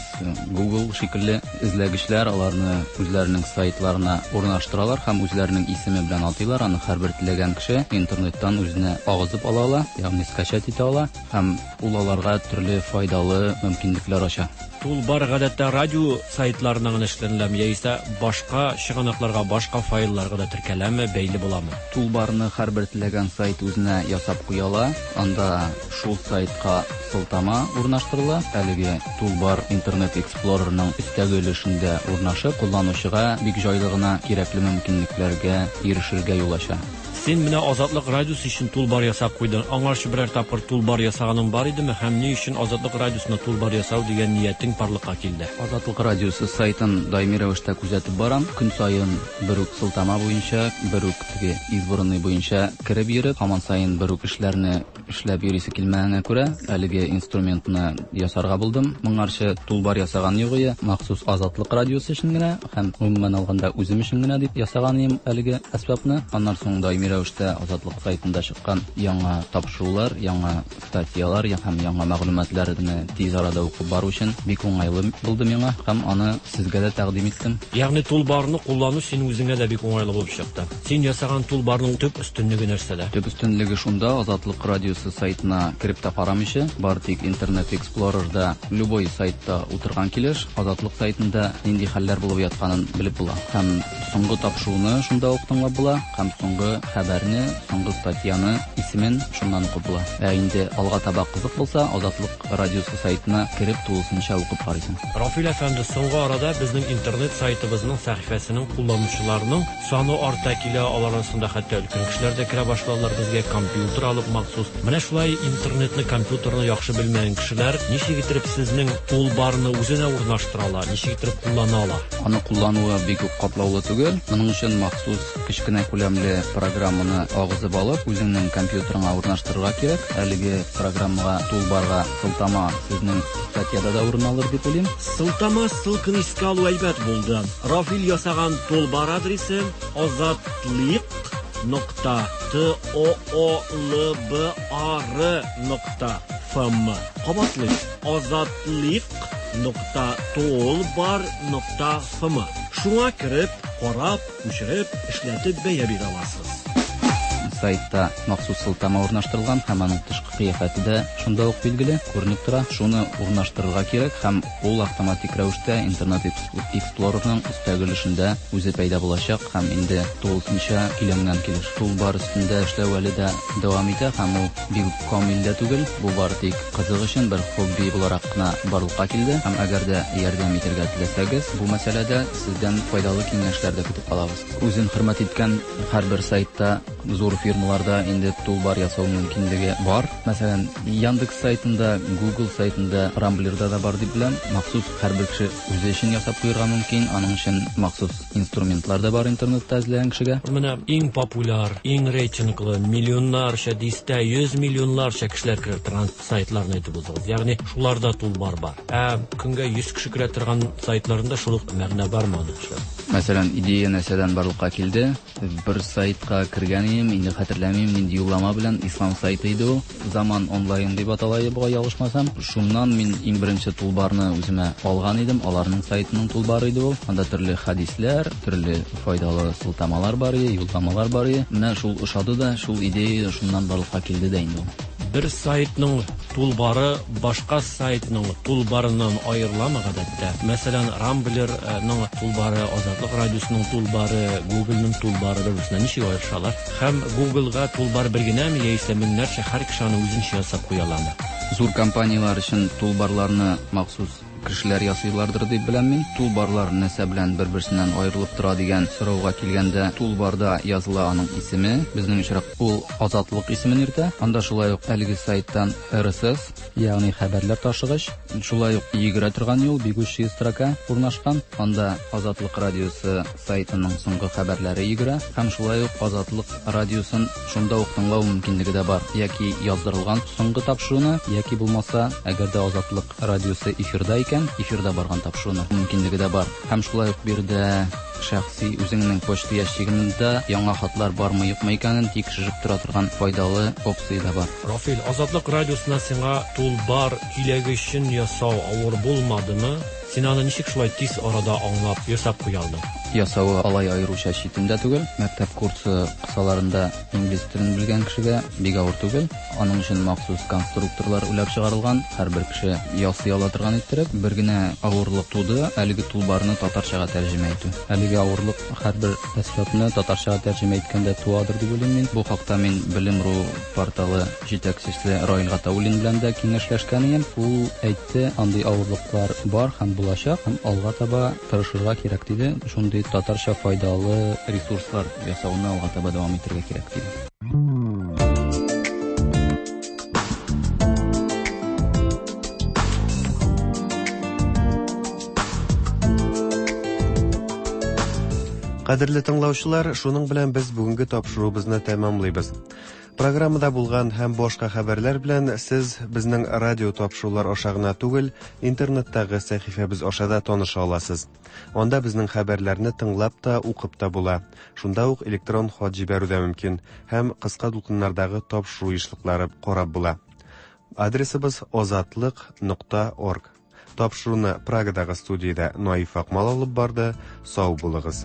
Google шикелле эзләгечләр аларны үзләренең сайтларына урнаштыралар һәм үзләренең исеме белән атыйлар. Аны һәрбер теләгән кеше интернеттан үзенә агызып ала ала, ягъни скачать итә ала һәм ул аларга төрле файдалы мөмкинлекләр ача. Тулбар гадәттә радио сайтларына гына эшләнеләме яисә башка чыганакларга, башка файлларга да теркәләме, бәйле буламы? Тулбарны һәрбер теләгән сайт үзенә ясап куя ала. Анда шул сайтка сылтама урнаштырыла. Әлеге тулбар Internet Explorer'ның өстәге өлешендә урнашып, кулланучыга бик җайлы гына кирәкле мөмкинлекләргә ирешергә юл ача. Син менә Азатлык радиосы өчен тулбар ясап куйдың. Аңарчы берәр тапкыр тулбар ясаганың бар идеме һәм ни өчен Азатлык радиосына тулбар ясау дигән ниятең барлыкка килде? Азатлык радиосы сайтын даими рәвештә күзәтеп барам. Көн саен бер үк сылтама буенча, бер үк теге избранный буенча кереп йөреп, һаман саен бер үк эшләрне эшләп йөрисе килмәгәнгә күрә, әлеге инструментны ясарга булдым. Моңарчы тулбар ясаган юк иде, махсус Азатлык радиосы өчен генә һәм гомумән алганда үзем өчен генә дип ясаган идем әлеге әсбапны. Аннан соң даими рәвештә Азатлык сайтында чыккан яңа тапшырулар, яңа статьялар һәм яңа мәгълүматларны тиз арада укып бару өчен бик уңайлы булды миңа һәм аны сезгә дә тәкъдим иттем. Ягъни тулбарны куллану синең үзеңә дә бик уңайлы булып чыкты. Син ясаган тулбарның төп өстенлеге нәрсәдә? Төп өстенлеге шунда, Азатлык радиосы сайтына кереп тә карамыйча, бары тик Internet Explorer'да любой сайтта утырган килеш Азатлык сайтында нинди хәлләр булып ятканын белеп була. Һәм соңгы тапшыруны шунда ук тыңлап була, һәм соңгы хәбәрне, соңгы статьяны, исемен шуннан укып була. Ә инде алга таба кызык булса, Азатлык радиосы сайтына кереп тулысынча укып карыйсың. Рафил әфәнде, соңгы арада безнең интернет сайтыбызның сәхифәсенең кулланучыларының саны арта килә, алар арасында хәтта өлкән кешеләр дә керә башладылар, безгә компьютер алып махсус. Менә шулай интернетны, компьютерны яхшы белмәгән кешеләр ничек итеп сезнең тулбарны үзенә урнаштыра ала, ничек итеп куллана ала? Аны куллануы бик үк катлаулы түгел. Моның өчен махсус кечкенә күләмле программаны агызып алып, үзеңнең компьютерыңа урнаштырырга кирәк. Әлеге программага, тулбарга сылтама сезнең статьяда да урын алыр дип уйлыйм. Сылтама ссылканы искә алу әйбәт булды. Рафил ясаган тулбар адресы азатлык нокта т о о л б а р нокта ф м. Кабатлыйм: азатлык нокта тулбар нокта ф м. Шуңа кереп, карап, күчереп, эшләтеп бәя бирә аласыз. Сайтта махсус сылтама урнаштырылган һәм аның тышкы кыяфәте дә шунда ук билгеле, күренеп тора. Шуны урнаштырырга кирәк һәм ул автоматик рәвештә Internet Explorer'ның өстәге өлешендә үзе пәйда булачак һәм инде тулысынча көйләнгән килеш. Тулбар өстендә эшләү әле дә дәвам итә һәм ул бик камил дә түгел. Бу бары тик кызык өчен бер хобби буларак кына барлыкка килде һәм әгәр дә ярдәм итәргә теләсәгез, бу мәсьәләдә сездән файдалы киңәшләр дә көтеп калабыз. Үзен хөрмәт иткән һәрбер сайтта зур фирмаларда инде тулбар ясау мөмкинлеге бар. Мәсәлән, Яндекс сайтында, Google сайтында, Рамблерда да бар дип беләм. Махсус һәрбер кеше үзе өчен ясап куярга мөмкин. Аның өчен махсус инструментлар да бар интернетта эзләгән кешегә. Менә иң популяр, иң рейтинглы, миллионнарча, дистә, йөз миллионнарча кешеләр керә торган сайтларны әйтеп узыгыз. Ягъни шуларда тулбар бар. Ә көнгә йөз кеше керә торган сайтларында шул ук мәгънә бармы аның эшләп? Мәсәлән, идея нәрсәдән барлыкка килде? Бер сайтка кергән идем, инде хәтерләмим, нинди юллама белән, ислам сайты иде ул. Заман онлайн дип атала иде, бугай ялгышмасам. Шуннан мин иң беренче тулбарны үземә алган идем. Аларның сайтының тулбары иде ул. Анда төрле хәдисләр, төрле файдалы сылтамалар бар иде, юлламалар бар иде. Менә шул ошады да, шул идея шуннан барлыкка килде дә инде ул. Бер сайтның тулбары башка сайтның тулбарыннан аерыламы гадәттә? Мәсәлән, Рамблерның тулбары, Азатлык радиосының тулбары, Google'ның тулбары бер-берсеннән ничек аерышалар? Һәм Google'га тулбар бер генәме яисә меңнәрчә һәр кеше аны үзенчә ясап куя аламы? Зур компанияләр өчен тулбарларны махсус кешеләр ясыйлардыр дип беләм мин. Тулбарлар нәрсә белән бер-берсеннән аерылып тора дигән сорауга килгәндә, тулбарда языла аның исеме. Безнең очрак ул Азатлык исемен йөртә. Анда шулай ук әлеге сайттан эр эс эс, ягъни хәбәрләр ташыгыч, шулай ук йөгерә торган юл, бегущая строка урнашкан. Анда Азатлык радиосы сайтының соңгы хәбәрләре йөгерә һәм шулай ук Азатлык радиосын шунда ук тыңлау мөмкинлеге дә бар. Яки яздырылган соңгы тапшыруны, яки булмаса, әгәр дә Азатлык радиосы эфирда икән, эфирда барган тапшыруны мөмкинлеге дә бар. Һәм шулай ук биредә шәхси үзеңнең почта ящигында яңа хатлар бармы юкмы икәнен тикшереп тора торган файдалы опция да бар. Рафил, Азатлык радиосына сиңа тулбар киләге өчен ясау авыр булмадымы? Син аны ничек шулай тиз арада аңлап, ясап куя алдың? Ясавы алай аеруча читен дә түгел. Мәктәп курсы кысаларында инглиз телен белгән кешегә бик авыр түгел. Аның өчен махсус конструкторлар уйлап чыгарылган. Һәрбер кеше ясый ала торган иттереп. Бер генә авырлык туды, әлеге тулбарны татарчага тәрҗемә итү. Әлеге авырлык һәрбер әсбапны татарчага тәрҗемә иткәндә туадыр дип уйлыйм мин. Бу хакта мин Белем.ру порталы җитәкчесе Раил Гатауллин белән дә киңәшләшкән идем. Ул әйтте, андый авырлыклар бар һәм булачак, һәм алга таба тырышырга кирәк диде. Шундый татарча файдалы ресурслар ясауны алга таба дәвам итәргә кирәк диде. Кадерле тыңлаучылар, шуның белән без бүгенге тапшыруыбызны тәмамлыйбыз. Программада булган һәм башка хәбәрләр белән сез безнең радио тапшырулар аша гына түгел, интернеттагы сәхифәбез аша да таныша аласыз. Анда безнең хәбәрләрне тыңлап та, укып та була. Шунда ук электрон хат җибәрү дә мөмкин һәм кыска дулкыннардагы тапшыру ешлыклары карап була. Адресыбыз озатлык нокта орг. Тапшыруны Прагадагы студиядә Наиф Акмал алып барды. Сау булыгыз.